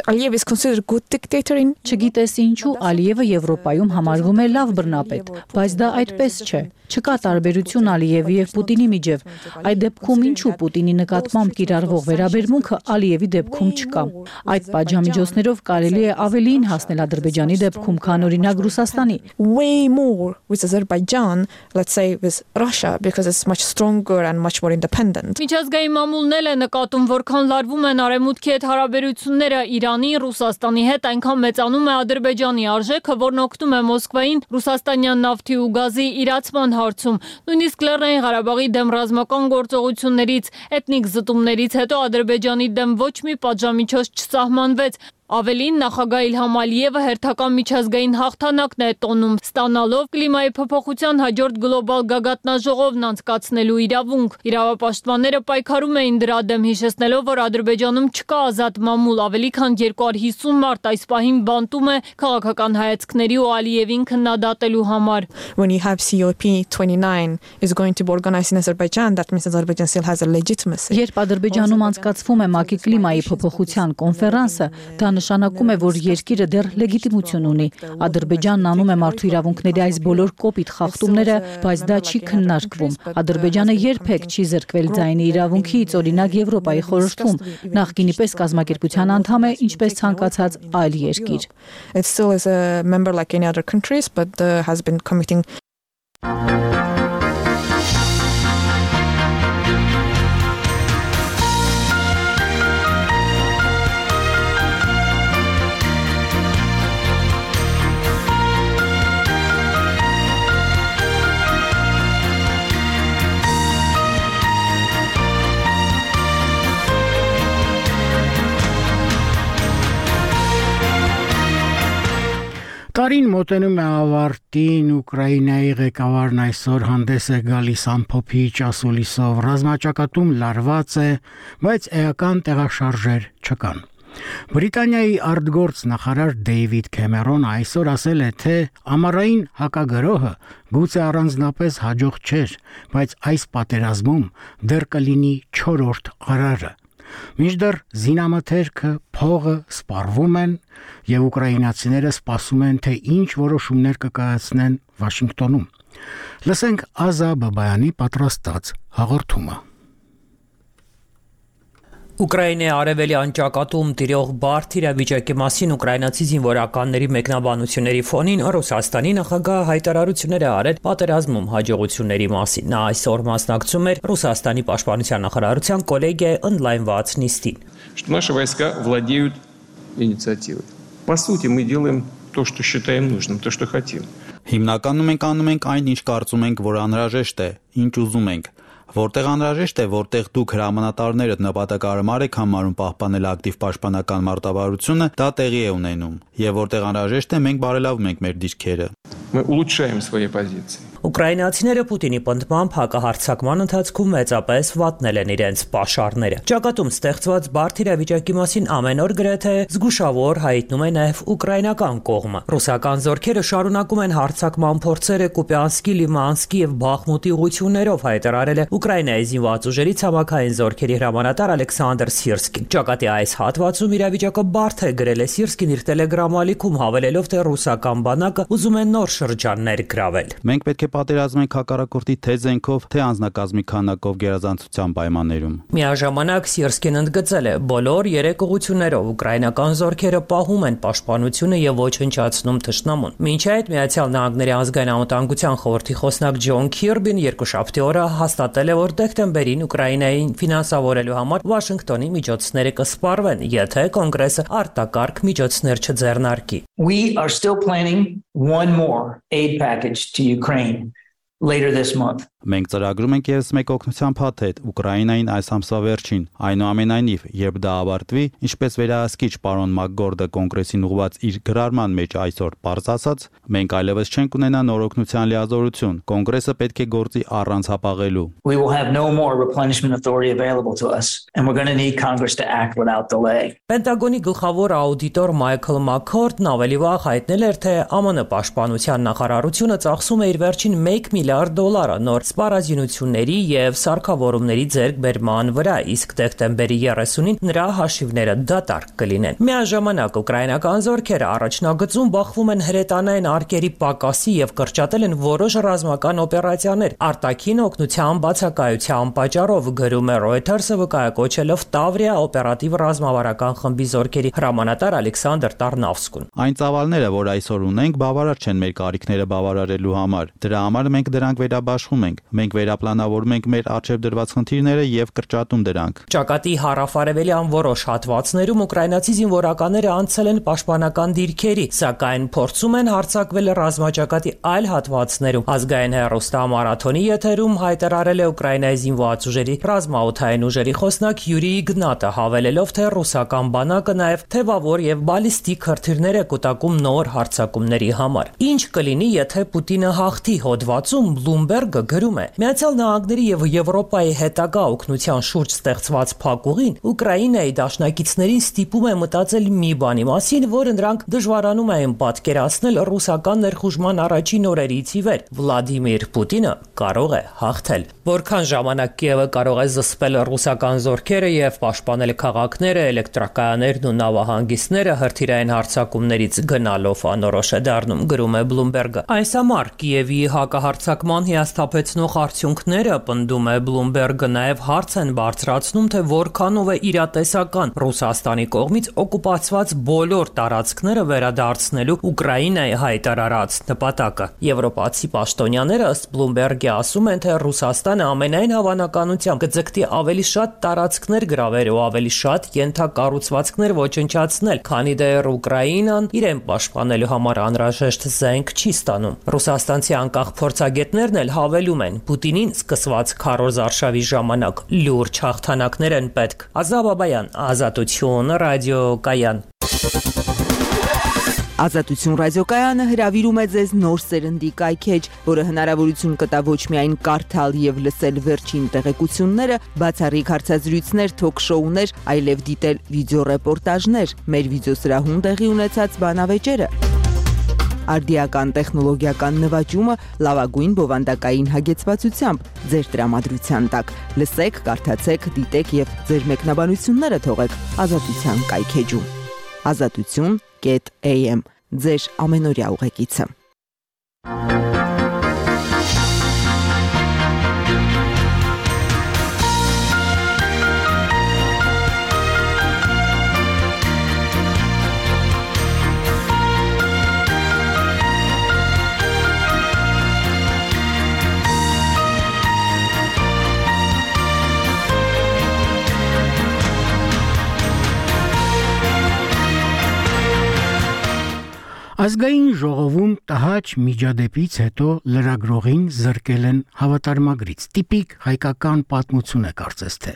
Aliyev is considered good dictator in Չգիտես ինչու Ալիևը Եվրոպայում համարվում է լավ բռնապետ, բայց դա այդպես չէ։ Չկա տարբերություն Ալիևի եւ Պուտինի միջև։ Այդ դեպքում ինչու Պուտինի նկատմամբ կիրառվող վերաբերմունքը Ալիևի դեպքում չկա։ Այդ պատժամիջոցներով կարելի է ավելին հասնել Ադրբեջանի դեպքում, քան օրինակ Ռուսաստանի։ Way more with Azerbaijan, let's say with Russia, because it's much stronger and much more independent. Միջազգային մամուլն էլ է նկատում, որքան լարվում են արևմուտքի հետ հարաբերությունները Իրանի, Ռուսաստանի հետ, այնքան մեծանում է Ադրբեջանի արժեքը, որն օգնում է Մոսկվային ռուսաստանյան նավթի ու գազի իրացման հարցում։ Նույնիսկ Լեռնային Ղարաբաղի դեմ ռազմական գործողություններից, էթնիկ զտումներից հետո Ադրբեջանի դեմ ոչ մի պատժամիջոց չսահմանվեց։ Ավելին, նախագահ Իլհամ Ալիևը հերթական միջազգային հաղթանակն է տոնում, ստանալով կլիմայի փոփոխության հաջորդ գլոբալ գագաթնաժողովն անցկացնելու իրավունք։ Իրավապաշտպանները պայքարում էին դրա դեմ, հիշեցնելով, որ Ադրբեջանում չկա ազատ մամուլ, ավելի քան 250 մարդ այս պահին բանտում է քաղաքական հայացքների ու Ալիևին քննադատելու համար։ When you have COP29 is going to be organized in Azerbaijan, that means Azerbaijan still has a legitimacy. Երբ Ադրբեջանում անցկացվում է ՄԱԿ-ի կլիմայի փոփոխության կոնֆերանսը, դա նշանակում է, որ երկիրը դեռ լեգիտիմություն ունի։ Ադրբեջանն անում է մարդու իրավունքների այս բոլոր կոպիտ խախտումները, բայց դա չի քննարկվում։ Ադրբեջանը երբեք չի զրկվել ձայնի իրավունքից, օրինակ Եվրոպայի խորհրդում, նախկինի պես կազմակերպության անդամ է, ինչպես ցանկացած այլ երկիր։ It still is a member like any other countries, but has been committing Տարին մոտենում է ավարտին, Ուկրաինայի ղեկավարն այսօր հանդես է գալիս ամփոփիչ ասուլիսով, ռազմաճակատում լարված է, բայց էական տեղաշարժեր չկան։ Բրիտանիայի արտգործ նախարար Դեյվիդ Քեմերոնը այսօր ասել է, թե ամառային հակագրոհը գուցե առանձնապես հաջող չէր, բայց այս պատերազմում դեռ կլինի 4-րդ արարը։ Մինչդեռ զինամթերքը, փողը սպառվում են եւ ուկրաինացիները սպասում են, թե ինչ որոշումներ կկայացնեն Վաշինգտոնում։ Լսենք Ազա Բաբայանի պատրաստած հաղորդումը։ Ուկրաինայի արևելյան ճակատում տիրող բարդ իրավիճակի մասին ուկրաինացի զինվորականների մեկնաբանությունների ֆոնին Ռուսաստանի նախագահը հայտարարություններ է արել պատերազմում հաջողությունների մասին։ Նա այսօր մասնակցում էր Ռուսաստանի պաշտպանության նախարարության կոլեգիայի օնլայնված նիստին։ Что наши войска владеют инициативой. По сути, мы делаем то, что считаем нужным, то, что хотим. Հիմնականում մենք անում ենք այն, ինչ կարծում ենք, որ անհրաժեշտ է, ինչ ուզում ենք։ Որտեղ անհրաժեշտ է, որտեղ դուք հրամանատարները նպատակարար եք համարում պահպանել ակտիվ պաշտպանական մարտավարությունը, դա տեղի է ունենում, եւ որտեղ անհրաժեշտ է, մենք բարելավում ենք մեր դիրքերը։ Мы улучшаем свои позиции. Ուկրաինացիները Պուտինի պնդմամբ հակահարձակման ընթացքում մեծապես վատնել են իրենց պաշարները։ Ճակատում ստեղծված բարդ իրավիճակի մասին ամեն օր գրեթե զգուշավոր հայտնում է նաև ուկրաինական կողմը։ Ռուսական զորքերը շարունակում են հարձակման փորձերը Կուպյանսկի, Լիմանսկի եւ Բախմուտի ուղություններով, հայտարարել է Ուկրաինայի զինված ուժերի ցամաքային զորքերի հրամանատար Ալեքսանդր Սիրսկին։ Ճակատի այս հատվածում իրավիճակը բարդ է, գրել է Սիրսկին իր Telegram ալիքում, հավելելով, թե ռուսական բանակը ուզում է նոր շրջաններ գրավել։ Մենք պետք է պատերազմենք հակառակորդի թե զենքով, թե անձնակազմի քանակով գերազանցության պայմաններում։ Միաժամանակ Սիրսկին ընդգծել է, բոլոր 3 ուղություններով ուկրաինական զորքերը պահում են պաշտպանությունը եւ ոչնչացնում թշնամուն։ Մինչ այդ Միացյալ Նահանգների ազգային անվտանգության խորհրդի խոսնակ Ջոն Քիրբին երկուշաբթի օրը հաստատել է, որ դեկտեմբերին Ուկրաինային ֆինանսավորելու համար Վաշինգտոնի միջոցները կսպառվեն, եթե կոնգրեսը արտակարգ միջոցներ չձեռնարկի։ We are still planning one more aid package to Ukraine later this month. Մենք ծրագրում ենք ևս մեկ օգնության փաթեթ Ուկրաինային այս ամսվա վերջին։ Այնուամենայնիվ, երբ դա ավարտվի, ինչպես վերահսկիչ պարոն Մակգորդը կոնգրեսին ուղղված իր գրառման մեջ այսօր պարզ ասաց, մենք այլևս չենք ունենա նոր օգնության լիազորություն։ Կոնգրեսը պետք է գործի առանց հապաղելու։ We will have no more replenishment authority available to us, and we're going to need Congress to act without delay. Պենտագոնի գլխավոր աուդիտոր Մայքլ Մաքքորդն ավելի վաղ հայտնել էր, թե ԱՄՆ պաշտպանության նախարարությունը ծախսում է իր վերջին $1 միլիարդ նոր սպառազինությունների եւ սարքավորումների ձեռքբերման վրա, իսկ դեկտեմբերի 30-ին նրա հաշիվները դատարկ կլինեն։ Միաժամանակ ուկրաինական զորքերը առաջնագծում բախվում են հրետանային արկերի պակասի եւ կրճատել են որոշ ռազմական օպերացիաներ արտաքին օգնության բացակայության պատճառով, գրում է Reuters-ը, վկայակոչելով Տավրիա օպերատիվ ռազմավարական խմբի զորքերի հրամանատար Ալեքսանդր Տարնավսկուն։ Այն ծավալները, որ այսօր ունենք, բավարար չեն մեր կարիքները բավարարելու համար։ Դրա համար մենք դրանք վերաբաշխում ենք։ Մենք վերապլանավորում ենք մեր առջև դրված խնդիրները եւ կրճատում դրանք։ Ճակատի հարավարևելյան որոշ հատվածներում ուկրաինացի զինվորականները անցել են պաշտպանական դիրքերի, սակայն փորձում են հարձակվել ռազմաճակատի այլ հատվածներում։ Ազգային հեռուստամարաթոնի եթերում հայտարարել է Ուկրաինայի զինված ուժերի ռազմաօդային ուժերի խոսնակ Յուրի Իգնատը, հավելելով, թե ռուսական բանակը նաեւ թևավոր եւ բալիստիկ հրթիռներ է կուտակում նոր հարձակումների համար։ Ինչ կլինի, եթե Պուտինը հաղթի հոդվածում Bloomberg-ը գրում է. Միացյալ Նահանգների եւ Եվրոպայի հետագա օգնության շուրջ ստեղծված փակուղին Ուկրաինայի դաշնակիցներին ստիպում է մտածել մի բանի մասին, որը նրանք դժվարանում են պատկերացնել ռուսական ներխուժման առաջին օրերից ի վեր։ Վլադիմիր Պուտինը կարող է հաղթել։ Որքան ժամանակ Կիևը կարող է զսպել ռուսական զորքերը եւ պաշտպանել քաղաքները, էլեկտրակայաններն ու նավահանգիստները հրթիռային հարձակումներից գնալով անորոշ է դառնում, գրում է Bloomberg-ը։ Այս համար Կիևի հակահարձակման հիասթափեցնող արդյունքները, պնդում է Bloomberg-ը, նաև հարց են բարձրացնում, թե որքանով է իրատեսական Ռուսաստանի կողմից օկուպացված բոլոր տարածքները վերադարձնելու Ուկրաինայի հայտարարած նպատակը։ Եվրոպացի պաշտոնյաները ըստ Bloomberg-ի ասում են, թե Ռուսաստանը ամենայն հավանականությամբ կձգտի ավելի շատ տարածքներ գրավել ու ավելի շատ ենթակառուցվածքներ ոչնչացնել, քանի դեռ Ուկրաինան իրեն պաշտպանելու համար անհրաժեշտ զենք չի ստանում։ Ռուսաստանցի անկախ փորձագետներն էլ հավելում են, Պուտինին սկսված քարոզ արշավի ժամանակ լուրջ հաղթանակներ են պետք։ Ազատ Բաբայան, Ազատություն, ռադիոկայան։ Ազատություն ռադիոկայանը հրավիրում է ձեզ նոր սերնդի կայքեջ, որը հնարավորություն կտա ոչ միայն կարդալ եւ լսել վերջին տեղեկությունները, բացառիկ հարցազրույցներ, թոք-շոուներ, այլև դիտել վիդեոռեպորտաժներ, մեր վիդեոսրահում տեղի ունեցած բանավեճերը։ Արդիական տեխնոլոգիական նվաճումը լավագույն բովանդակային հագեցվածությամբ ձեր տրամադրության տակ։ Լսեք, կարդացեք, դիտեք եւ ձեր մեկնաբանությունները թողեք Ազատության կայքեջում։ Azatutun.am ձեր ամենօրյա ուղեկիցը։ Ազգային ժողովում տհաճ միջադեպից հետո լրագրողին զրկել են հավատարմագրից։ Տիպիկ հայկական պատմություն է կարծես թե։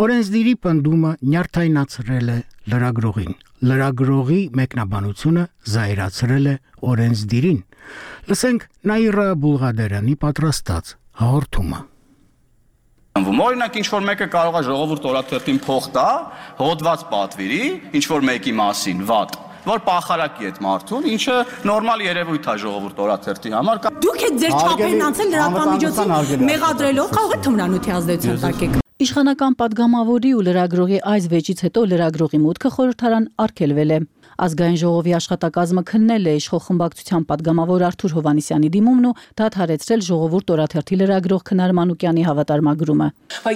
Օրենսդիրի պնդումը նյարդայնացրել է լրագրողին։ Լրագրողի մեկնաբանությունը զայրացրել է օրենսդիրին։ Լսենք Նաիրա Բուլղադարյանի պատրաստած հաղորդումը։ Օրինակ ինչ-որ մեկը կարող է ժողովուրդ օրաթերթին փող տա, հոդված պատվիրի, ինչ-որ մեկի մասին, վատ, որ պախարակի այդ մարդուն, ինչը նորմալ երևույթ է ժողովուրդ օրաթերթի համար։ Դուք եք ձեր չափերն անցել լրատվամիջոցին մեղադրելով, կարող է թմրանյութի ազդեցություն տակեք։ Իշխանական падգամավորի ու լրագրողի այս վեճից հետո լրագրողի մուտքը խորհրդարան արգելվել է։ Ազգային ժողովի աշխատակազմը քննել է իշխող խմբակցության падգամավոր Արթուր Հովհաննիսյանի դիմումն ու դադարեցրել ժողովուրդ օրաթերթի լրագրող Քնար Մանուկյանի հավատարմագրումը։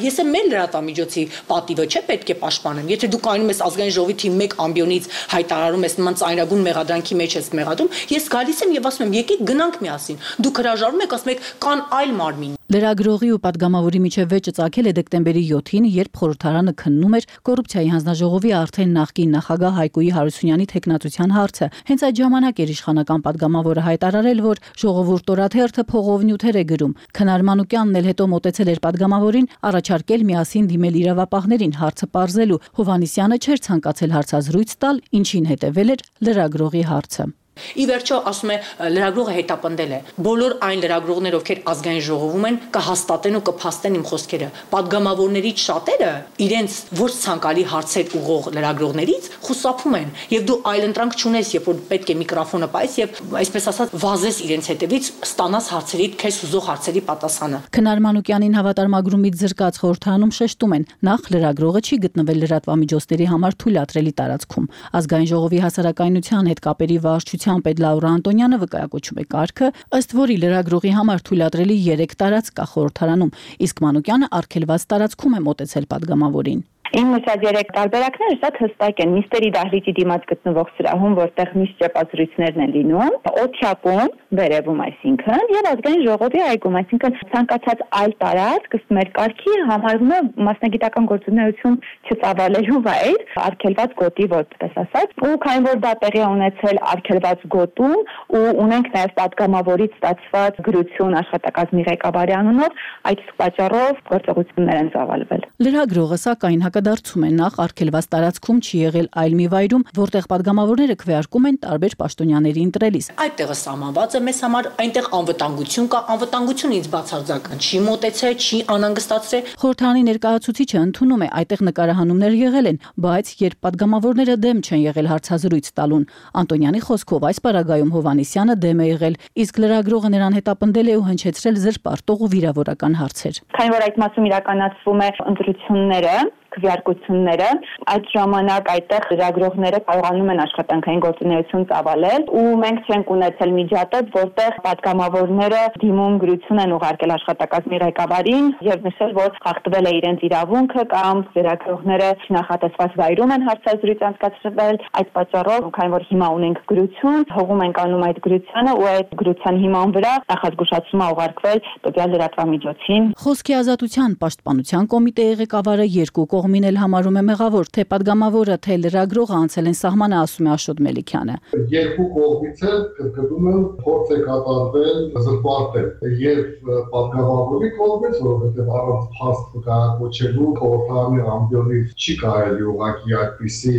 Ես եմ մեր լրատվամիջոցի պատիվը չէ պետք է պաշտպանեմ։ Եթե դու կայնում ես ազգային ժողովի թիմ 1 ամբիոնից հայտարարում ես նման ծայրագուն մեղադրանքի մեջ ես մեղադրում, ես գալիս եմ եւ ասում եմ եկեք գնանք միասին։ Դուք հրաժարվում եք, ասում եք կան այլ մարմին։ Լրագրողի ու падգամավորի միջև վեճը ծագել է դեկտեմբերի 7-ին, երբ խորհրդարանը քննում էր կոռուպցիայի հանձնաժողովի արդեն նախկին նախագահ Հայկոյի Հարությունյանի թեկնածության հարցը։ Հենց այդ ժամանակ էր իշխանական падգամավորը հայտարարել, որ ժողովուրդ օրաթերթը փողով նյութեր է գրում։ Քնար Մանուկյանն էլ հետո մոտեցել էր падգամավորին, առաջարկել միասին դիմել իրավապահներին հարցը պարզելու։ Հովհաննիսյանը չէր ցանկացել հարցազրույց տալ, ինչին հետևել էր լրագրողի հարցը։ Ի վերջո ասում է լրագրողը հետապնդել է բոլոր այն լրագրողներ ովքեր ազգային ժողովում են կհաստատեն ու կփաստեն իմ խոսքերը падգամավորներից շատերը իրենց ոչ ցանկալի հարցեր ուղող լրագրողներից խուսափում են եւ դու այլընտրանք չունես երբ որ պետք է միկրոֆոնը պայես եւ այսպես ասած վազես իրենց հետևից ստանաս հարցերի քեզ ուզող հարցերի պատասխանը։ Քնար Մանուկյանին հավատարմագրումից զրկած խորհրդարանում շեշտում են նախ լրագրողը չի գտնվել լրատվամիջոցների համար թույլատրելի տարածքում ազգային ժողովի հասարակայնության հետ կապերի վարչության պետ Լաուրա Անտոնյանը վկայակոչում է կարգը, ըստ որի լրագրողի համար թույլատրելի 3 տարածք կա խորհրդարանում, իսկ Մանուկյանը արգելված տարածքում է մոտեցել падգամավորին։ Իմ նշած 3 տարբերակները շատ հստակ են։ Միստերի դահլիճի դիմաց գտնվող սրահում, որտեղ միշտ ճեպազրույցներն են լինում, օթյակում, վերևում, այսինքն, եւ ազգային ժողովի այգում, այսինքն ցանկացած այլ տարածք ըստ մեր կարգի համարվում է մասնագիտական գործունեություն չծավալելու վայր, արգելված գոտի որպես ասած, ու քանի որ դա տեղի է ունեցել արգելված գոտում ու ունենք նաեւ падգամավորից ստացված գրություն աշխատակազմի ղեկավարի անունով, այդ պատճառով գործողություններ են ծավալվել։ Լրագրողը սակայն հակադարձում է նախ արգելված տարածքում չի եղել այլ մի վայրում, որտեղ падգամավորները քվեարկում են տարբեր պաշտոնյաների ընտրելիս։ Այդտեղը սահմանված է մեզ համար, այնտեղ անվտանգություն կա, անվտանգությունը ինձ բացարձական չի մոտեցել, չի անհանգստացրել։ Խորհրդարանի ներկայացուցիչը ընդունում է այդտեղ նկարահանումներ եղել են, բայց երբ падգամավորները դեմ չեն եղել հարցազրույց տալուն, Անտոնյանի խոսքով այս պարագայում Հովհաննիսյանը դեմ է եղել, իսկ լրագրողը նրան հետապնդել է ու հնչեցրել զրպարտող ու վիրավորական հարցեր։ Քանի որ այդ մասում իրականացվում է ընտրությունները, քվեարկությունները, այդ ժամանակ այդտեղ լրագրողները կարողանում են աշխատանքային գործունեություն ծավալել ու մենք չենք ունեցել միջադեպ, որտեղ падգամավորները դիմում գրություն են ուղարկել աշխատակազմի ղեկավարին եւ նշել, որ խախտվել է իրենց իրավունքը կամ լրագրողները չնախատեսված վայրում են հարցազրույց անցկացրել, այդ պատճառով, քանի որ հիմա ունենք գրություն, հողում ենք անում այդ գրությանը ու այդ գրության հիման վրա նախազգուշացում է ուղարկվել տվյալ լրատվամիջոցին։ Խոսքի ազատության պաշտպանության կոմիտեի ղեկավարը երկու կողմին էլ համարում է մեղավոր, թե падգամավորը, թե լրագրողը անցել են սահմանը, ասում է Աշոտ Մելիքյանը։ Երկու կողմից էլ կրկնում եմ փորձ է կատարվել զրպարտել եւ падգամավորի կողմից, որովհետեւ առանց փաստ վկայակոչելու խորհրդարանի ամբիոնից չի կարելի ուղղակի այդպիսի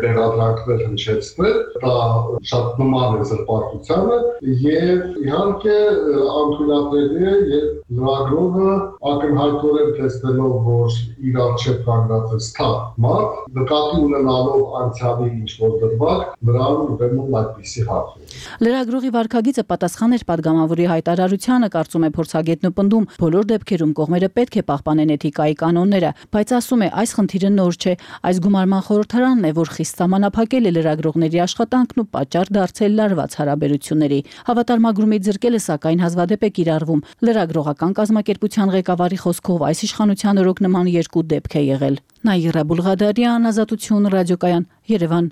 բերադրանքներ հնչեցնել, դա շատ նման է զրպարտությանը եւ իհարկե անթույլատրելի է եւ լրագրողը ակնհայտորեն տեսնելով, որ իր առջև կանգնած է սթափ մարդ, նկատի ունենալով անցյալի ինչ-որ դրվագ, նրան ուրեմն այդպիսի հարց է։ Լրագրողի վարքագիծը պատասխան էր падգամավորի հայտարարությանը, կարծում է փորձագետն ու պնդում, բոլոր դեպքերում կողմերը պետք է պահպանեն էթիկայի կանոնները, բայց ասում է, այս խնդիրը նոր չէ, այս գումարման խորհրդարանն է, որ խիստ սահմանափակել է լրագրողների աշխատանքն ու պատճառ դարձել լարված հարաբերությունների։ Հավատարմագրումից զրկելը սակայն հազվադեպ է կիրառվում։ Լրագրողական կազմակերպության ղեկավարի խոսքով այս իշխանության օրոք նման երկու դեպք է եղել։ Նաիրա Բուլղադարյան, Ազատություն ռադիոկայան, Երևան։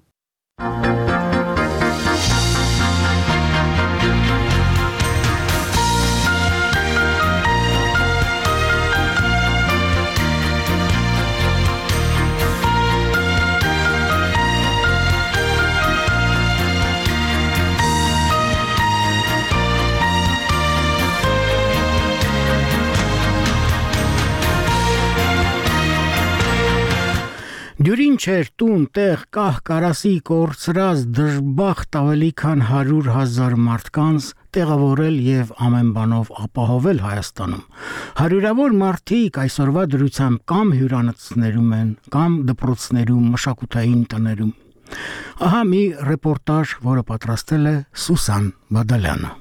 Դյուրին չէր տուն, տեղ, կահ, կարասի, կորցրած, դժբախտ ավելի քան 100,000 մարդկանց տեղավորել եւ ամեն բանով ապահովել Հայաստանում։ Հարյուրավոր մարդիկ այսօրվա դրությամբ կամ հյուրանոցներում են, կամ դպրոցներում, մշակութային տներում։ Ահա մի ռեպորտաժ, որը պատրաստել է Սուսան Բադալյանը։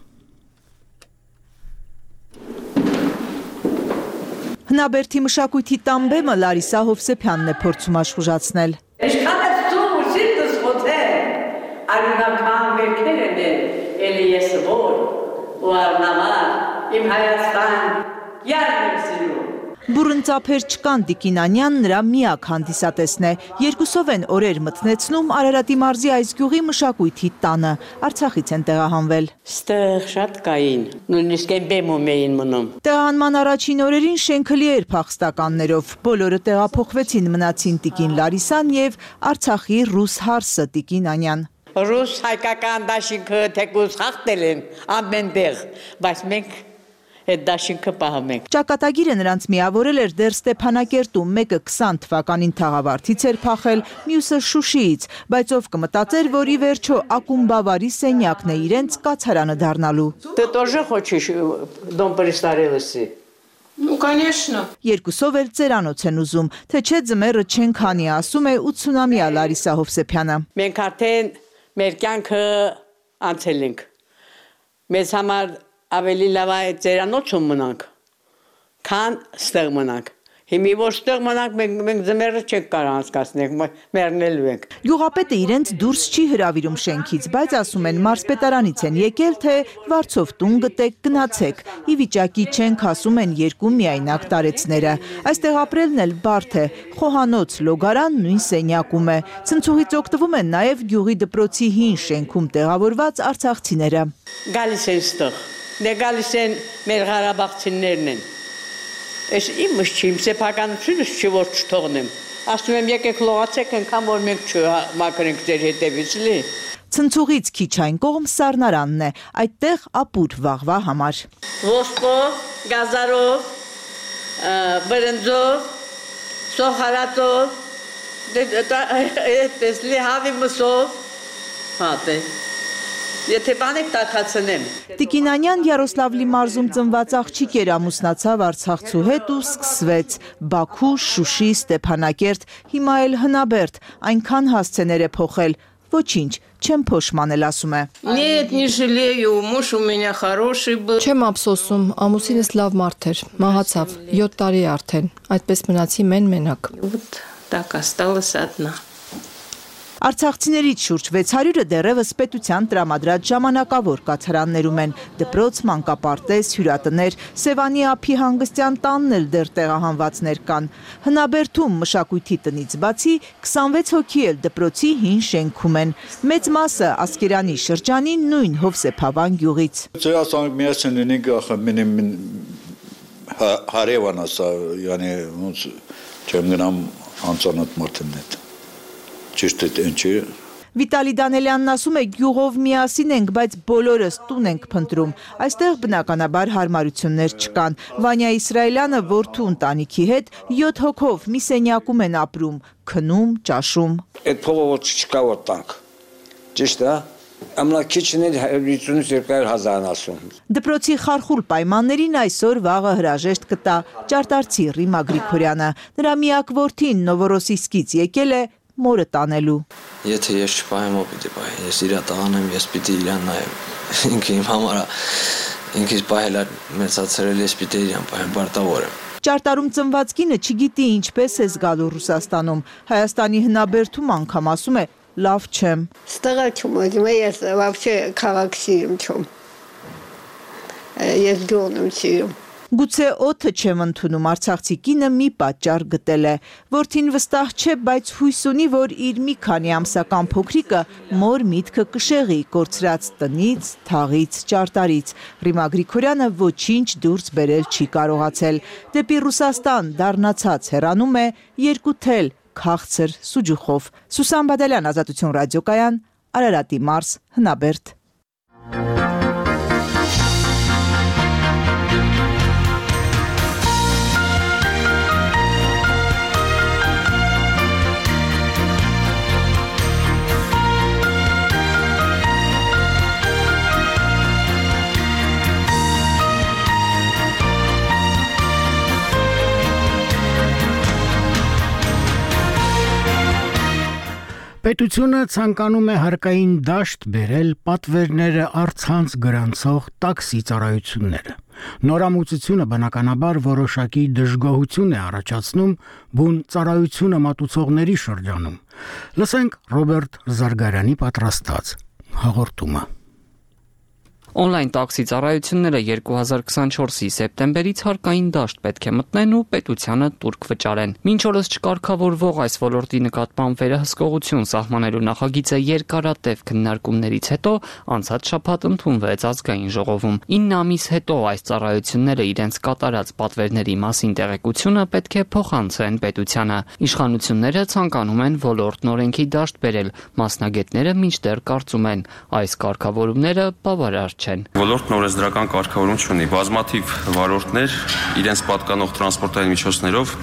Հնաբերդի մշակույթի տան բեմը Լարիսա Հովսեփյանն է փորձում աշխուժացնել։ Ինչքան է ծում ու սիրտս խոթել, արյունական վերքեր են էլի ես որ ու արնամար, իմ Հայաստան, յարն եմ սիրում։ Բուրըն ծափեր չկան Տիկինանյան նրա միակ հանդիսատեսն է։ Երկուսով են օրեր մթնեցնում Արարատի մարզի այս գյուղի մշակույթի տանը։ Արցախից են տեղահանվել։ Ստեղ շատ կային, նույնիսկ այն բեմում էին մնում։ Տեղահանման առաջին օրերին շենքը լի էր փախստականներով։ Բոլորը տեղափոխվեցին, մնացին Տիկին Լարիսան եւ Արցախի ռուս հարսը Տիկինանյան։ Ռուս հայկական դաշինքը թեկուզ խախտել են ամենտեղ, բայց մենք այդ դաշինքը պահում ենք։ Ճակատագիրը նրանց միավորել էր դեռ Ստեփանակերտում, մեկը 20 թվականին Թաղավարտից էր փախել, մյուսը Շուշիից, բայց ով կմտածեր, որ ի վերջո ակումբավարի սենյակն է իրենց կացարանը դառնալու։ Ты тоже хочешь дом престарелости? Ну, конечно։ Երկուսով էլ ծերանոց են ուզում, թե չէ ձմեռը չեն քանի, ասում է 80-ամյա Լարիսա Հովսեփյանը։ Մենք արդեն մեր կյանքը անցել ենք։ Մեզ համար ավելի լավ է ծերանոցում մնանք, քան ստեղ մնանք։ Հիմի որ ստեղ մնանք, մենք ձմեռը չենք կարող անցկացնել, մեռնելու ենք։ Գյուղապետը իրենց դուրս չի հրավիրում շենքից, բայց ասում են մարզպետարանից են եկել, թե վարձով տուն գտեք, գնացեք։ Ի վիճակի չենք, ասում են երկու միայնակ տարեցները։ Այստեղ ապրելն էլ բարդ է։ Խոհանոց լոգարան նույն սենյակում է։ Ցնցուղից օգտվում են նաև գյուղի դպրոցի հին շենքում տեղավորված արցախցիները։ Գալիս են ստեղ, դե գալիս են մեր ղարաբաղցիներն են։ Ես իմս չի, իմ սեփականությունս չի, որ չթողնեմ։ Ասում եմ եկեք լողացեք, այնքան որ մենք չմաքրենք ձեր հետևից լի։ Ցնցուղից քիչ այն կողմ Սառնարանն է, այդտեղ ապուր վաղվա համար։ Ոսկով, գազարով, բրնձով, սոխարատով, այդպես լի հավի մսով, հատե։ Եթե բանեք տաքացնեմ։ Տիկինանյան Յարոսլավլի մարզում ծնված աղջիկ էր, ամուսնացավ Արցախցու հետ ու սկսվեց Բաքու, Շուշի, Ստեփանակերտ, հիմա էլ Հնաբերդ, այնքան հասցեներ է փոխել, ոչինչ, չեմ փոշմանել, ասում է։ Нет, не жалею, муж у меня хороший был։ Չեմ ափսոսում, ամուսինս լավ մարդ էր, մահացավ, 7 տարի արդեն, այդպես մնացի մենակ։ Вот так осталась одна։ Արցախցիներից շուրջ 600-ը դեռևս պետության տրամադրած ժամանակավոր կացարաններում են, դպրոց, մանկապարտեզ, հյուրատներ, Սևանի ափի հանգստյան տանն էլ դեռ տեղահանվածներ կան։ Հնաբերդում մշակույթի տնից բացի 26 հոգի էլ դպրոցի հին շենքում են։ Մեծ մասը Ասկերանի շրջանի նույն Հովսեփավան գյուղից։ Ճիշտ է ինչի։ Վիտալի Դանելյանն ասում է գյուղով միասին ենք, բայց բոլորս տուն ենք փնտրում։ Այստեղ բնականաբար հարմարություններ չկան։ Վանյա Իսրայելյանը որդու ընտանիքի հետ 7 հոգով մի սենյակում են ապրում, քնում, ճաշում։ Այդ փողը որ չկա որ տանք։ Ճիշտ է։ Ամլակիչն էլ 150-200,000 ասում։ Դպրոցի խարխուլ պայմաններին այսօր վաղը հրաժեշտ կտա Ճարտարցի Ռիմա Գրիգորյանը։ Նրա միակ որդին Նովորոսիսկից եկել է մորը տանելու։ Եթե ես չպահեմ, ո՞վ պիտի պահի։ Ես իրա տանեմ, ես պիտի իրան նայեմ։ Ինքը իմ համար ինքս պահել մեծացրել, ես պիտի իրան պահեմ, պարտավոր եմ։ Ճարտարում ծնված կինը չգիտի ինչպես է զգալու Ռուսաստանում։ Հայաստանի Հնաբերդում անգամ ասում է լավ չեմ։ Ստեղ չեմ, ես вообще քաղաք սիրում չեմ։ Ես գյուղն եմ սիրում։ Գուցե օդը չեմ ընդունում, արցախցի կինը մի պատճառ գտել է։ Որդին վստահ չէ, բայց հույս ունի, որ իր մի քանի ամսական փոքրիկը մոր միտքը կշեղի կորցրած տնից, թաղից, ճարտարից։ Ռիմա Գրիգորյանը ոչինչ դուրս բերել չի կարողացել։ Դեպի Ռուսաստան դառնացած հեռանում է երկու թել քաղցր սուջուխով։ Սուսան Բադալյան, Ազատություն ռադիոկայան, Արարատի մարզ, Հնաբերդ։ Պետությունը ցանկանում է հարկային դաշտ բերել պատվերները առցանց գրանցող տաքսի ծառայությունները։ Նորամուծությունը բնականաբար որոշակի դժգոհություն է առաջացնում բուն ծառայությունը մատուցողների շրջանում։ Լսենք Ռոբերտ Զարգարյանի պատրաստած հաղորդումը։ Օնլայն տաքսի ծառայությունները 2024-ի սեպտեմբերից հարկային դաշտ պետք է մտնեն ու պետությանը տուրք վճարեն։ Մինչ օրս չկարգավորվող այս ոլորտի նկատմամբ վերահսկողություն սահմանելու նախագիծը երկարատև քննարկումներից հետո անցած շաբաթ ընդունվեց ազգային ժողովում։ 9 ամիս հետո այս ծառայությունները իրենց կատարած պատվերների մասին տեղեկությունը պետք է փոխանցեն պետությանը։ Իշխանությունները ցանկանում են ոլորտն օրենքի դաշտ բերել, մասնագետները մինչդեռ կարծում են այս կարգավորումները բավարար չեն։ Ոլորտն օրենսդրական կարգավորում չունի, բազմաթիվ վարորդներ իրենց պատկանող տրանսպորտային միջոցներով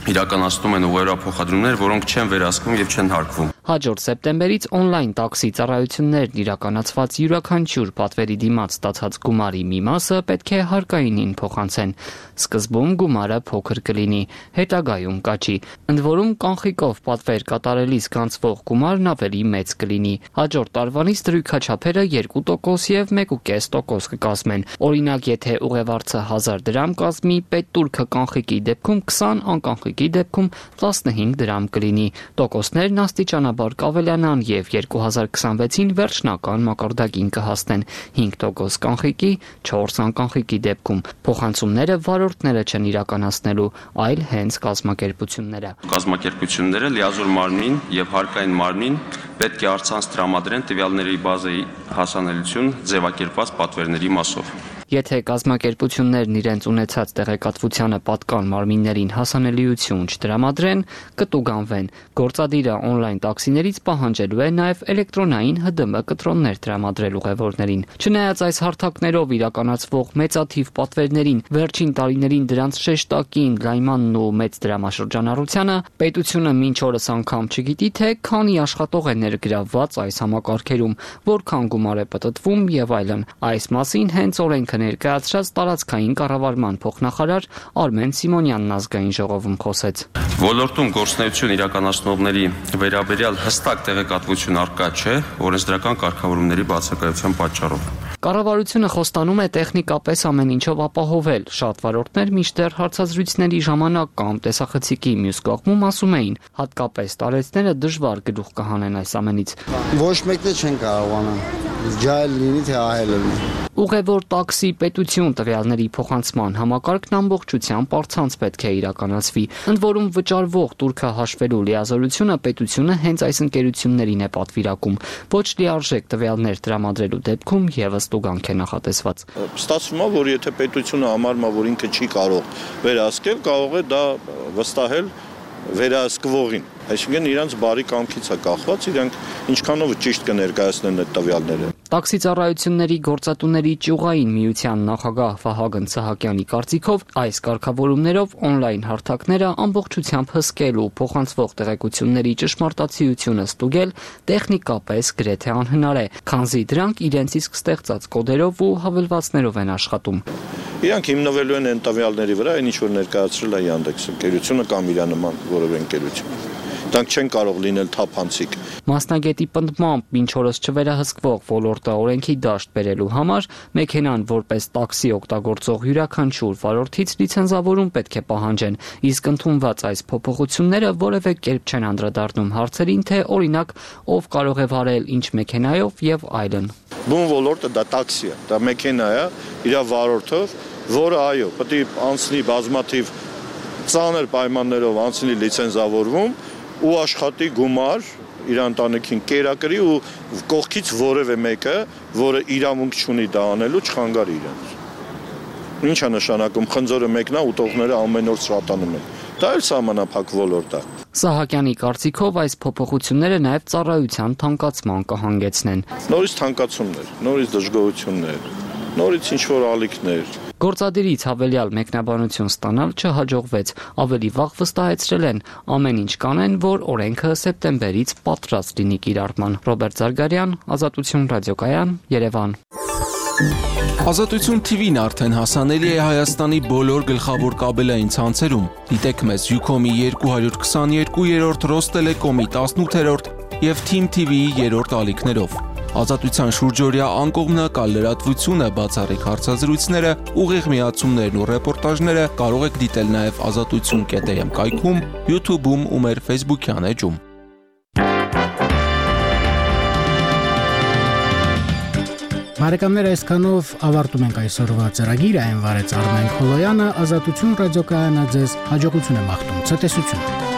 իրականացնում են ուղղափոխադրումներ, որոնք չեն վերահսկվում եւ չեն հարկվում։ Հաջորդ սեպտեմբերից օնլայն տաքսի ծառայություններն իրականացված յուրաքանչյուր պատվերի դիմաց ստացած գումարի մի մասը պետք է հարկայինին փոխանցեն։ Սկզբում գումարը փոքր կլինի, հետագայում կաճի։ Ընդ որում կանխիկով պատվեր կատարելիս գանձվող գումարն ավելի մեծ կլինի։ Հաջորդ տարվանից դրույքաչափերը 2% եւ 1.5% կկազմեն։ Օրինակ, եթե ուղևորցը 1000 դրամ կազմի, պետտուրքը կանխիկի դեպքում 20, անկանխիկի դեպքում 15 դրամ կլինի։ Տոկոսներն աստիճանաբար կավելանան եւ 2026-ին վերջնական մակարդակին կհասնեն 5% կանխիկի, 4 անկանխիկի դեպքում։ Փոխանցումները վարորդները չեն իրականացնելու, այլ հենց կազմակերպությունները։ Կազմակերպությունները լիազոր մարմնին եւ հարկային մարմնին պետք է առցանց տրամադրեն տվյալների բազայի հասանելիություն ձևակերպված պատվերների մասով։ Եթե կազմակերպություններն իրենց ունեցած տեղեկատվությանը պատկան մարմիններին հասանելիություն չտրամադրեն, կտուգանվեն։ Գործադիրը օնլայն տաքսիներից պահանջելու է նաև էլեկտրոնային ՀԴՄ կտրոններ տրամադրել ուղևորներին։ Չնայած այս հարթակներով իրականացվող մեծաթիվ պատվերներին, վերջին տարիներին դրանց շեշտակին լայմանն ու մեծ դրամաշրջանառությանը, պետությունը մինչ օրս անգամ չգիտի, թե քանի աշխատող է ներգրավված այս համակարգերում, որքան գումար է պտտվում եւ այլն։ Այս մասին հենց օրենքը ներկայացրած տարածքային կառավարման փոխնախարար Արմեն Սիմոնյանն ազգային ժողովում խոսեց։ Ոլորտում գործունեություն իրականացնողների վերաբերյալ հստակ տեղեկատվություն առկա չէ օրենսդրական կարգավորումների բացակայության պատճառով։ Կառավարությունը խոստանում է տեխնիկապես ամեն ինչով ապահովել։ Շատ վարորդներ մինչդեռ հարցազրույցների ժամանակ կամ տեսախցիկի մյուս կողմում ասում էին, հատկապես տարեցները դժվար գլուխ կհանեն այս ամենից։ Ոչ մեկը չեն կարողանա։ Ջայլ լինի թե ահել լինի։ Ուղևոր տաքսի պետություն տվյալների փոխանցման համակարգն ամբողջությամբ առցանց պետք է իրականացվի։ Ընդ որում վճարվող տուրքը հաշվելու լիազորությունը պետությունը հենց այս ընկերություններին է պատվիրակում։ Ոչ լիարժեք տվյալներ տրամադրելու դեպքում եւս տուգանք է նախատեսված։ Ստացվում է, որ եթե պետությունը համարում է, որ ինքը չի կարող վերահսկել, կարող է դա վստահել վերահսկվողին։ Այսինքն իրանց բարի կամքից է կախված, իրանք ինչքանով ճիշտ կներկայացնեն այդ տվյալները։ Տաքսի ծառայությունների գործատուների ճյուղային միության նախագահ Վահագն Սահակյանի կարծիքով այս կարգավորումներով օնլայն հարթակները ամբողջությամբ հսկել ու փոխանցվող տեղեկությունների ճշմարտացիությունը ստուգել տեխնիկապես գրեթե անհնար է, քանզի դրանք իրենց իսկ ստեղծած կոդերով ու հավելվածներով են աշխատում։ Իրանք հիմնվելու են այն տվյալների վրա, այն ինչ որ ներկայացրել է Yandex ընկերությունը կամ իր նման որևէ ընկերություն։ Դրանք չեն կարող լինել թափանցիկ։ Մասնագետի պնդմամբ մինչ օրս չվերահսկվող ոլորտը օրենքի դաշտ բերելու համար մեքենան որպես տաքսի օգտագործող յուրաքանչյուր վարորդից լիցենզավորում պետք է պահանջեն, իսկ ընդունված այս փոփոխությունները որևէ կերպ չեն անդրադառնում հարցերին, թե օրինակ ով կարող է վարել ինչ մեքենայով եւ այլն։ Բուն ոլորտը դա տաքսի է, դա մեքենա է, իր վարորդով, որը այո, պետք է անցնի բազմաթիվ ծանր պայմաններով անցնի լիցենզավորվում ու աշխատի գումար իր ընտանիքին կերակրի ու կողքից որևէ մեկը, որը իրավունք չունի դա անելու, չխանգարի իրենց։ Ինչ է նշանակում, խնձորը մեկն է, ուտողները ամեն օր շատանում են։ Դա էլ սահմանափակ ոլորտ է։ Սահակյանի կարծիքով այս փոփոխությունները նաև ծառայության թանկացման կհանգեցնեն։ Նորից թանկացումներ, նորից դժգոհություններ, նորից ինչ-որ ալիքներ։ Գործադիրից հավելյալ մեկնաբանություն ստանալ չհաջողվեց, ավելի վաղ վստահեցրել են, ամեն ինչ կանեն, որ օրենքը սեպտեմբերից պատրաստ լինի կիրառման։ Ռոբերտ Զարգարյան, Ազատություն ռադիոկայան, Երևան։ Ազատություն TV-ն արդեն հասանելի է Հայաստանի բոլոր գլխավոր կաբելային ցանցերում։ Դիտեք մեզ Ucom-ի 222-րդ, Rostellecom-ի 18-րդ եւ Team TV-ի երրորդ ալիքներով։ Ազատության շուրջօրյա անկողմնակալ լրատվությունը, բացառիկ հարցազրույցները, ուղիղ միացումներն ու ռեպորտաժները կարող եք դիտել նաեւ azatutsun.am կայքում, YouTube-ում ու մեր Facebook-յան էջում։ Բարեկամներ, այսքանով ավարտում ենք այսօրվա ծրագիրը, այն վարեց Արմեն Խոլոյանը, Ազատություն ռադիոկայանը ձեզ հաջողություն է մաղթում, ցտեսություն։